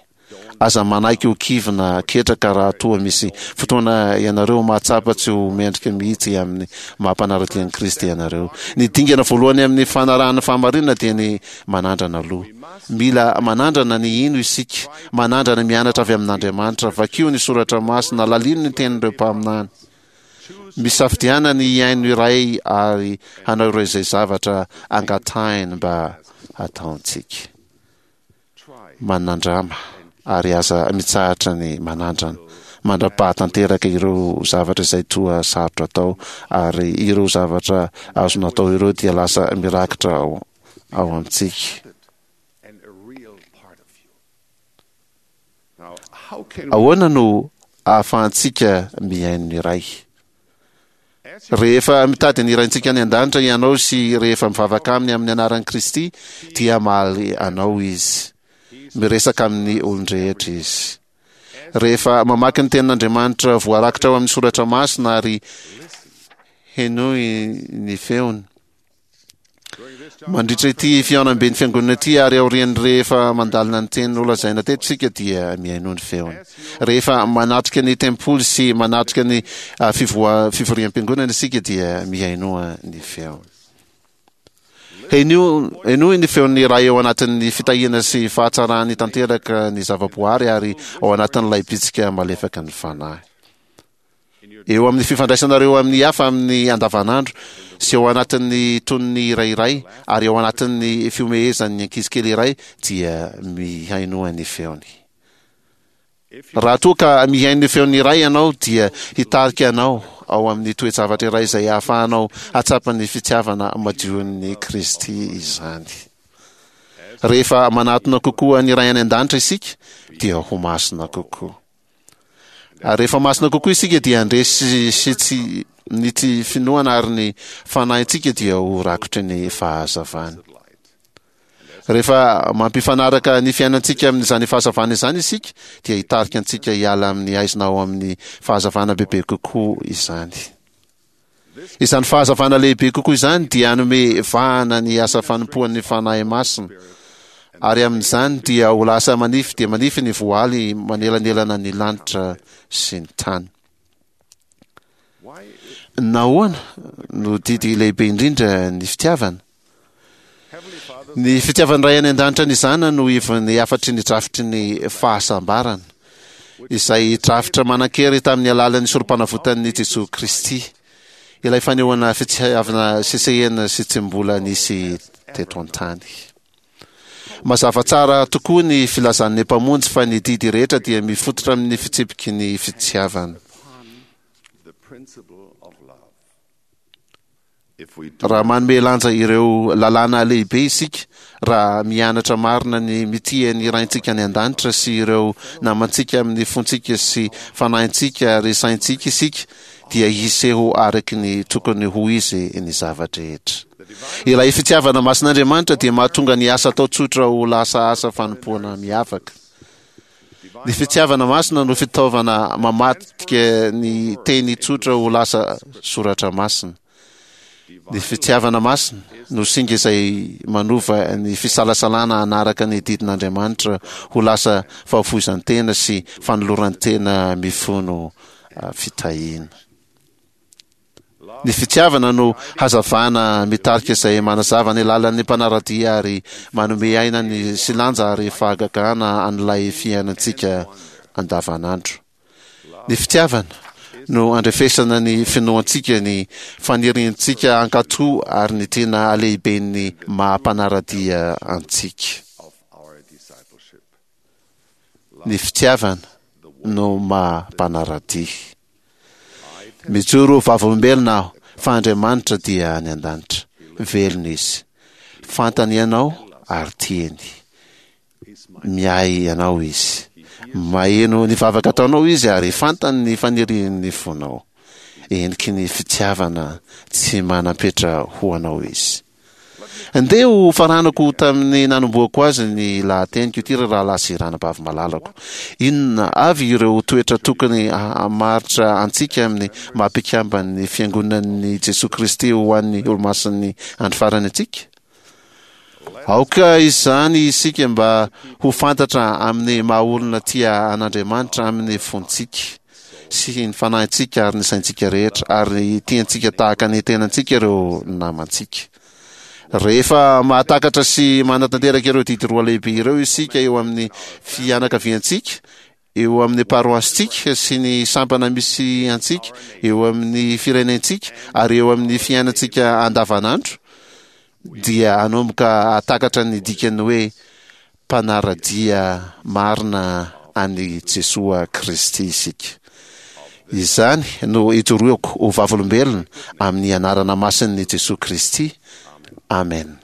Aza manaiky ho kivy na ketraka raha toa misy fotoana ianareo mahatsapa tsy ho mendrika mihitsy amin'ny maha mpanara-dia an'i Kristy ianareo. Ny dingana voalohany amin'ny fanarahana fahamarinana dia ny manandrana aloha. Mila manandrana ny hino isika, manandrana mianatra avy amin'Andriamanitra. Vakio ny soratra masina, lalino ny tenin'ireo mpaminany. Misafidiana ny hihaino iray ary hanao ireo izay zavatra angatahiny mba hataontsika. Manandrama ary aza mitsahatra ny manandrana mandra-pahatanteraka ireo zavatra izay toa sarotra atao, ary ireo zavatra azo natao ireo dia lasa mirakitra ao, ao amintsika. Ahoana no ahafahantsika mihaino ny Ray? Rehefa mitady ny Raintsika any an-danitra ianao sy rehefa mivavaka aminy amin'ny anaran'i Kristy, dia hamaly anao Izy. Miresaka amin'ny olon-drehetra Izy. Rehefa mamaky ny Tenin'Andriamanitra voarakitra ao amin'ny Soratra Masina ary henoy ny feony, Mandritra ity fihaonamben'ny fiangonana ity ary aorian'ny rehefa mandalina ny teny nolazaina teto isika dia mihainoa ny feony. Rehefa manatrika ny tempoly sy manatrika ny ah, fivoa- fivoriam-piangonana isika dia mihainoa ny feony. Henoy henoy ny feon'ny Ray ao anatin'ny fitahiana sy fahatsarany tanteraka ny zavaboary ary ao anatin'ilay bitsika malefaka ny Fanahy. Eo amin'ny fifandraisanareo amin'ny hafa amin'ny andavanandro, sy ao anatin'ny tonony iray iray, ary ao anatin'ny fihomehezan'ny ankizy kely iray, dia mihainoa ny feony. Raha toa ka mihaino ny feon'ny Ray ianao, dia hitarika anao ao amin'ny toe-javatra iray izay ahafahanao hahatsapa ny fitiavana madion'i Kristy izany. Rehefa manatona kokoa ny Ray any An-danitra isika, dia ho masina kokoa. Ary rehefa masina kokoa isika dia handresy sy tsy ny tsy finoana ary ny fanahintsika dia ho rakotry ny fahazavany. Rehefa mampifanaraka ny fiainantsika amin'izany fahazavana izany isika, dia hitarika antsika hiala amin'ny haizina ao amin'ny fahazavana bebe kokoa izany. Izany fahazavana lehibe kokoa izany dia hanome vahana ny asa fanompoan'ny Fanahy Masina, ary amin'izany dia ho lasa manify dia manify ny voaly manelanelana ny lanitra sy ny tany. Nahoana no didy lehibe indrindra ny fitiavana? Ny fitiavan'ny Ray any an-danitra ny Zanany no ivon'ny hafatry ny drafitry ny fahasambarana, izay drafitra manan-kery tamin'ny alalan'ny sorom-panavotan'i Jesoa Kristy, ilay fanehoana fitiavana sesehena sy tsy mbola nisy teto an-tany. Mazava tsara tokoa ny filazan'ny Mpamonjy fa ny didy rehetra dia mifototra amin'ny fitsipiky ny fitiavana. Raha manome lanja ireo lalàna lehibe isika, raha mianatra marina ny mitia ny Raintsika any an-danitra sy ireo namantsika amin'ny fontsika sy fanahintsika ary saintsika isika, dia hiseho araky ny tokony ho izy ny zava-drehetra. Ilay fitiavana masin'Andriamanitra dia mahatonga ny asa atao tsotra ho lasa asa fanompoana miavaka. Ny fitiavana masina no fitaovana mamadika ny teny tsotra ho lasa soratra masina. Ny fitiavana masina no singa izay manova ny fisalasalana hanaraka ny didin'Andriamanitra ho lasa fahafoizan-tena sy fanoloran-tena mifono fitahiana. Ny fitiavana no hazavana mitarika izay manazava ny lalan'ny mpanara-dia ary manome aina ny sy lanja ary fahagagana an'ilay fiainantsika andavanandro. Ny fitiavana no andrefesana ny finoantsika, ny faniriantsika hankatò ary ny tena halehiben'ny maha-mpanara-dia antsika. Ny fitiavana no maha-mpanara-dia. Mijoro ho vavolombelona aho fa Andriamanitra dia any an-danitra. Velona Izy. Fantany ianao ary tiany. Miahy anao Izy. Maheno ny vavaka ataonao Izy ary fantany ny fanirian'ny fonao. Heniky ny fitiavana tsy manam-petra ho anao Izy. Ndeha ho faranako tamin'ny nanombohako azy ny lahateniko ity, ry rahalahy sy ranabavy malalako. Inona avy ireo toetra tokony hamaritra antsika amin'ny maha mpikamban'ny Fiangonan'i Jesoa Kristy ho an'ny Olomasin'ny Andro Farany antsika? Aoka izany isika mba ho fantatra amin'ny maha olona tia an'Andriamanitra amin'ny fontsika sy ny fanahintsika ary ny saintsika rehetra, ary tiantsika tahaka ny tenantsika ireo namantsika. Rehefa mahatakatra sy manatanteraka ireo didy roa lehibe ireo isika eo amin'ny fianakaviantsika, eo amin'ny paroasintsika sy ny sampana misy antsika, eo amin'ny firenentsika ary eo amin'ny fiainantsika andavanandro, dia hanomboka hahatakatra ny dikan'ny hoe mpanara-dia marina an'i Jesoa Kristy isika. Izany no ijoroako ho vavolombelona amin'ny anarana masin'i Jesoa Kristy. Amen.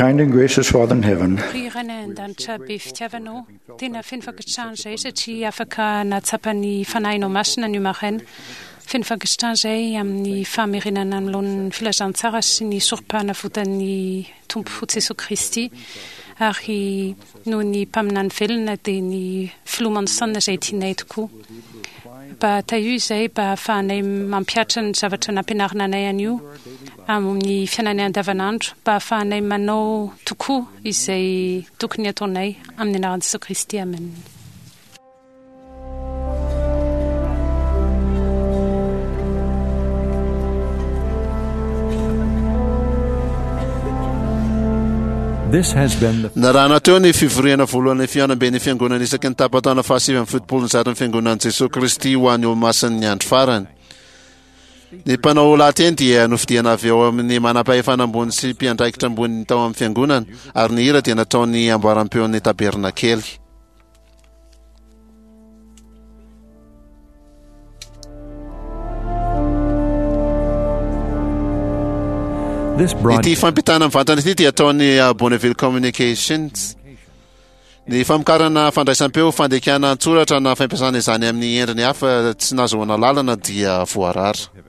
kind and gracious Father in heaven, Ry Rainay an-danitra be fitiavanao, tena feno fankasitrahana izahay satria afaka nahatsapa ny fanahinao masina ny maraina. Feno fankasitrahana izahay amin'ny famerenana ny laon'ny filazantsara sy ny sorom-panavotan'ny Tompo Jesoa Kristy, ary noho ny mpaminany velona dia ny filoha Monson izay tianay tokoa. Mba tahio izay mba ahafahanay mampihatra ny zavatra nampianarina anay anio amin'ny fiainanay andavanandro, mba ahafahanay manao tokoa izay tokony ataonay amin'ny anaran'i Jesoa Kristy. Amen. This has been the Narahana teo ny fivoriana voalohany fihaonamben'ny fiangonana isaky ny tapa-taona fahasivy amby fitopolo ny zaton'ny fiangonan'i Jesoa Kristy ho an'ny Olomasin'ny andro farany. Ny mpanao lahateny dia nofidiana avy ao amin'ny manam-pahefana ambony sy mpiandraikitra ambony tao amin'ny fiangonana, ary ny hira dia nataony amboaram-peon'ny tabernakely. This Ity broadcast fampitana mivantana ity dia ataon'ny uh, Bonneville Communications. Ny famokarana fandraisam-peo, fandikana an-tsoratra na fampiasana izany amin'ny endriny hafa tsy nahazoana lalana dia voarara.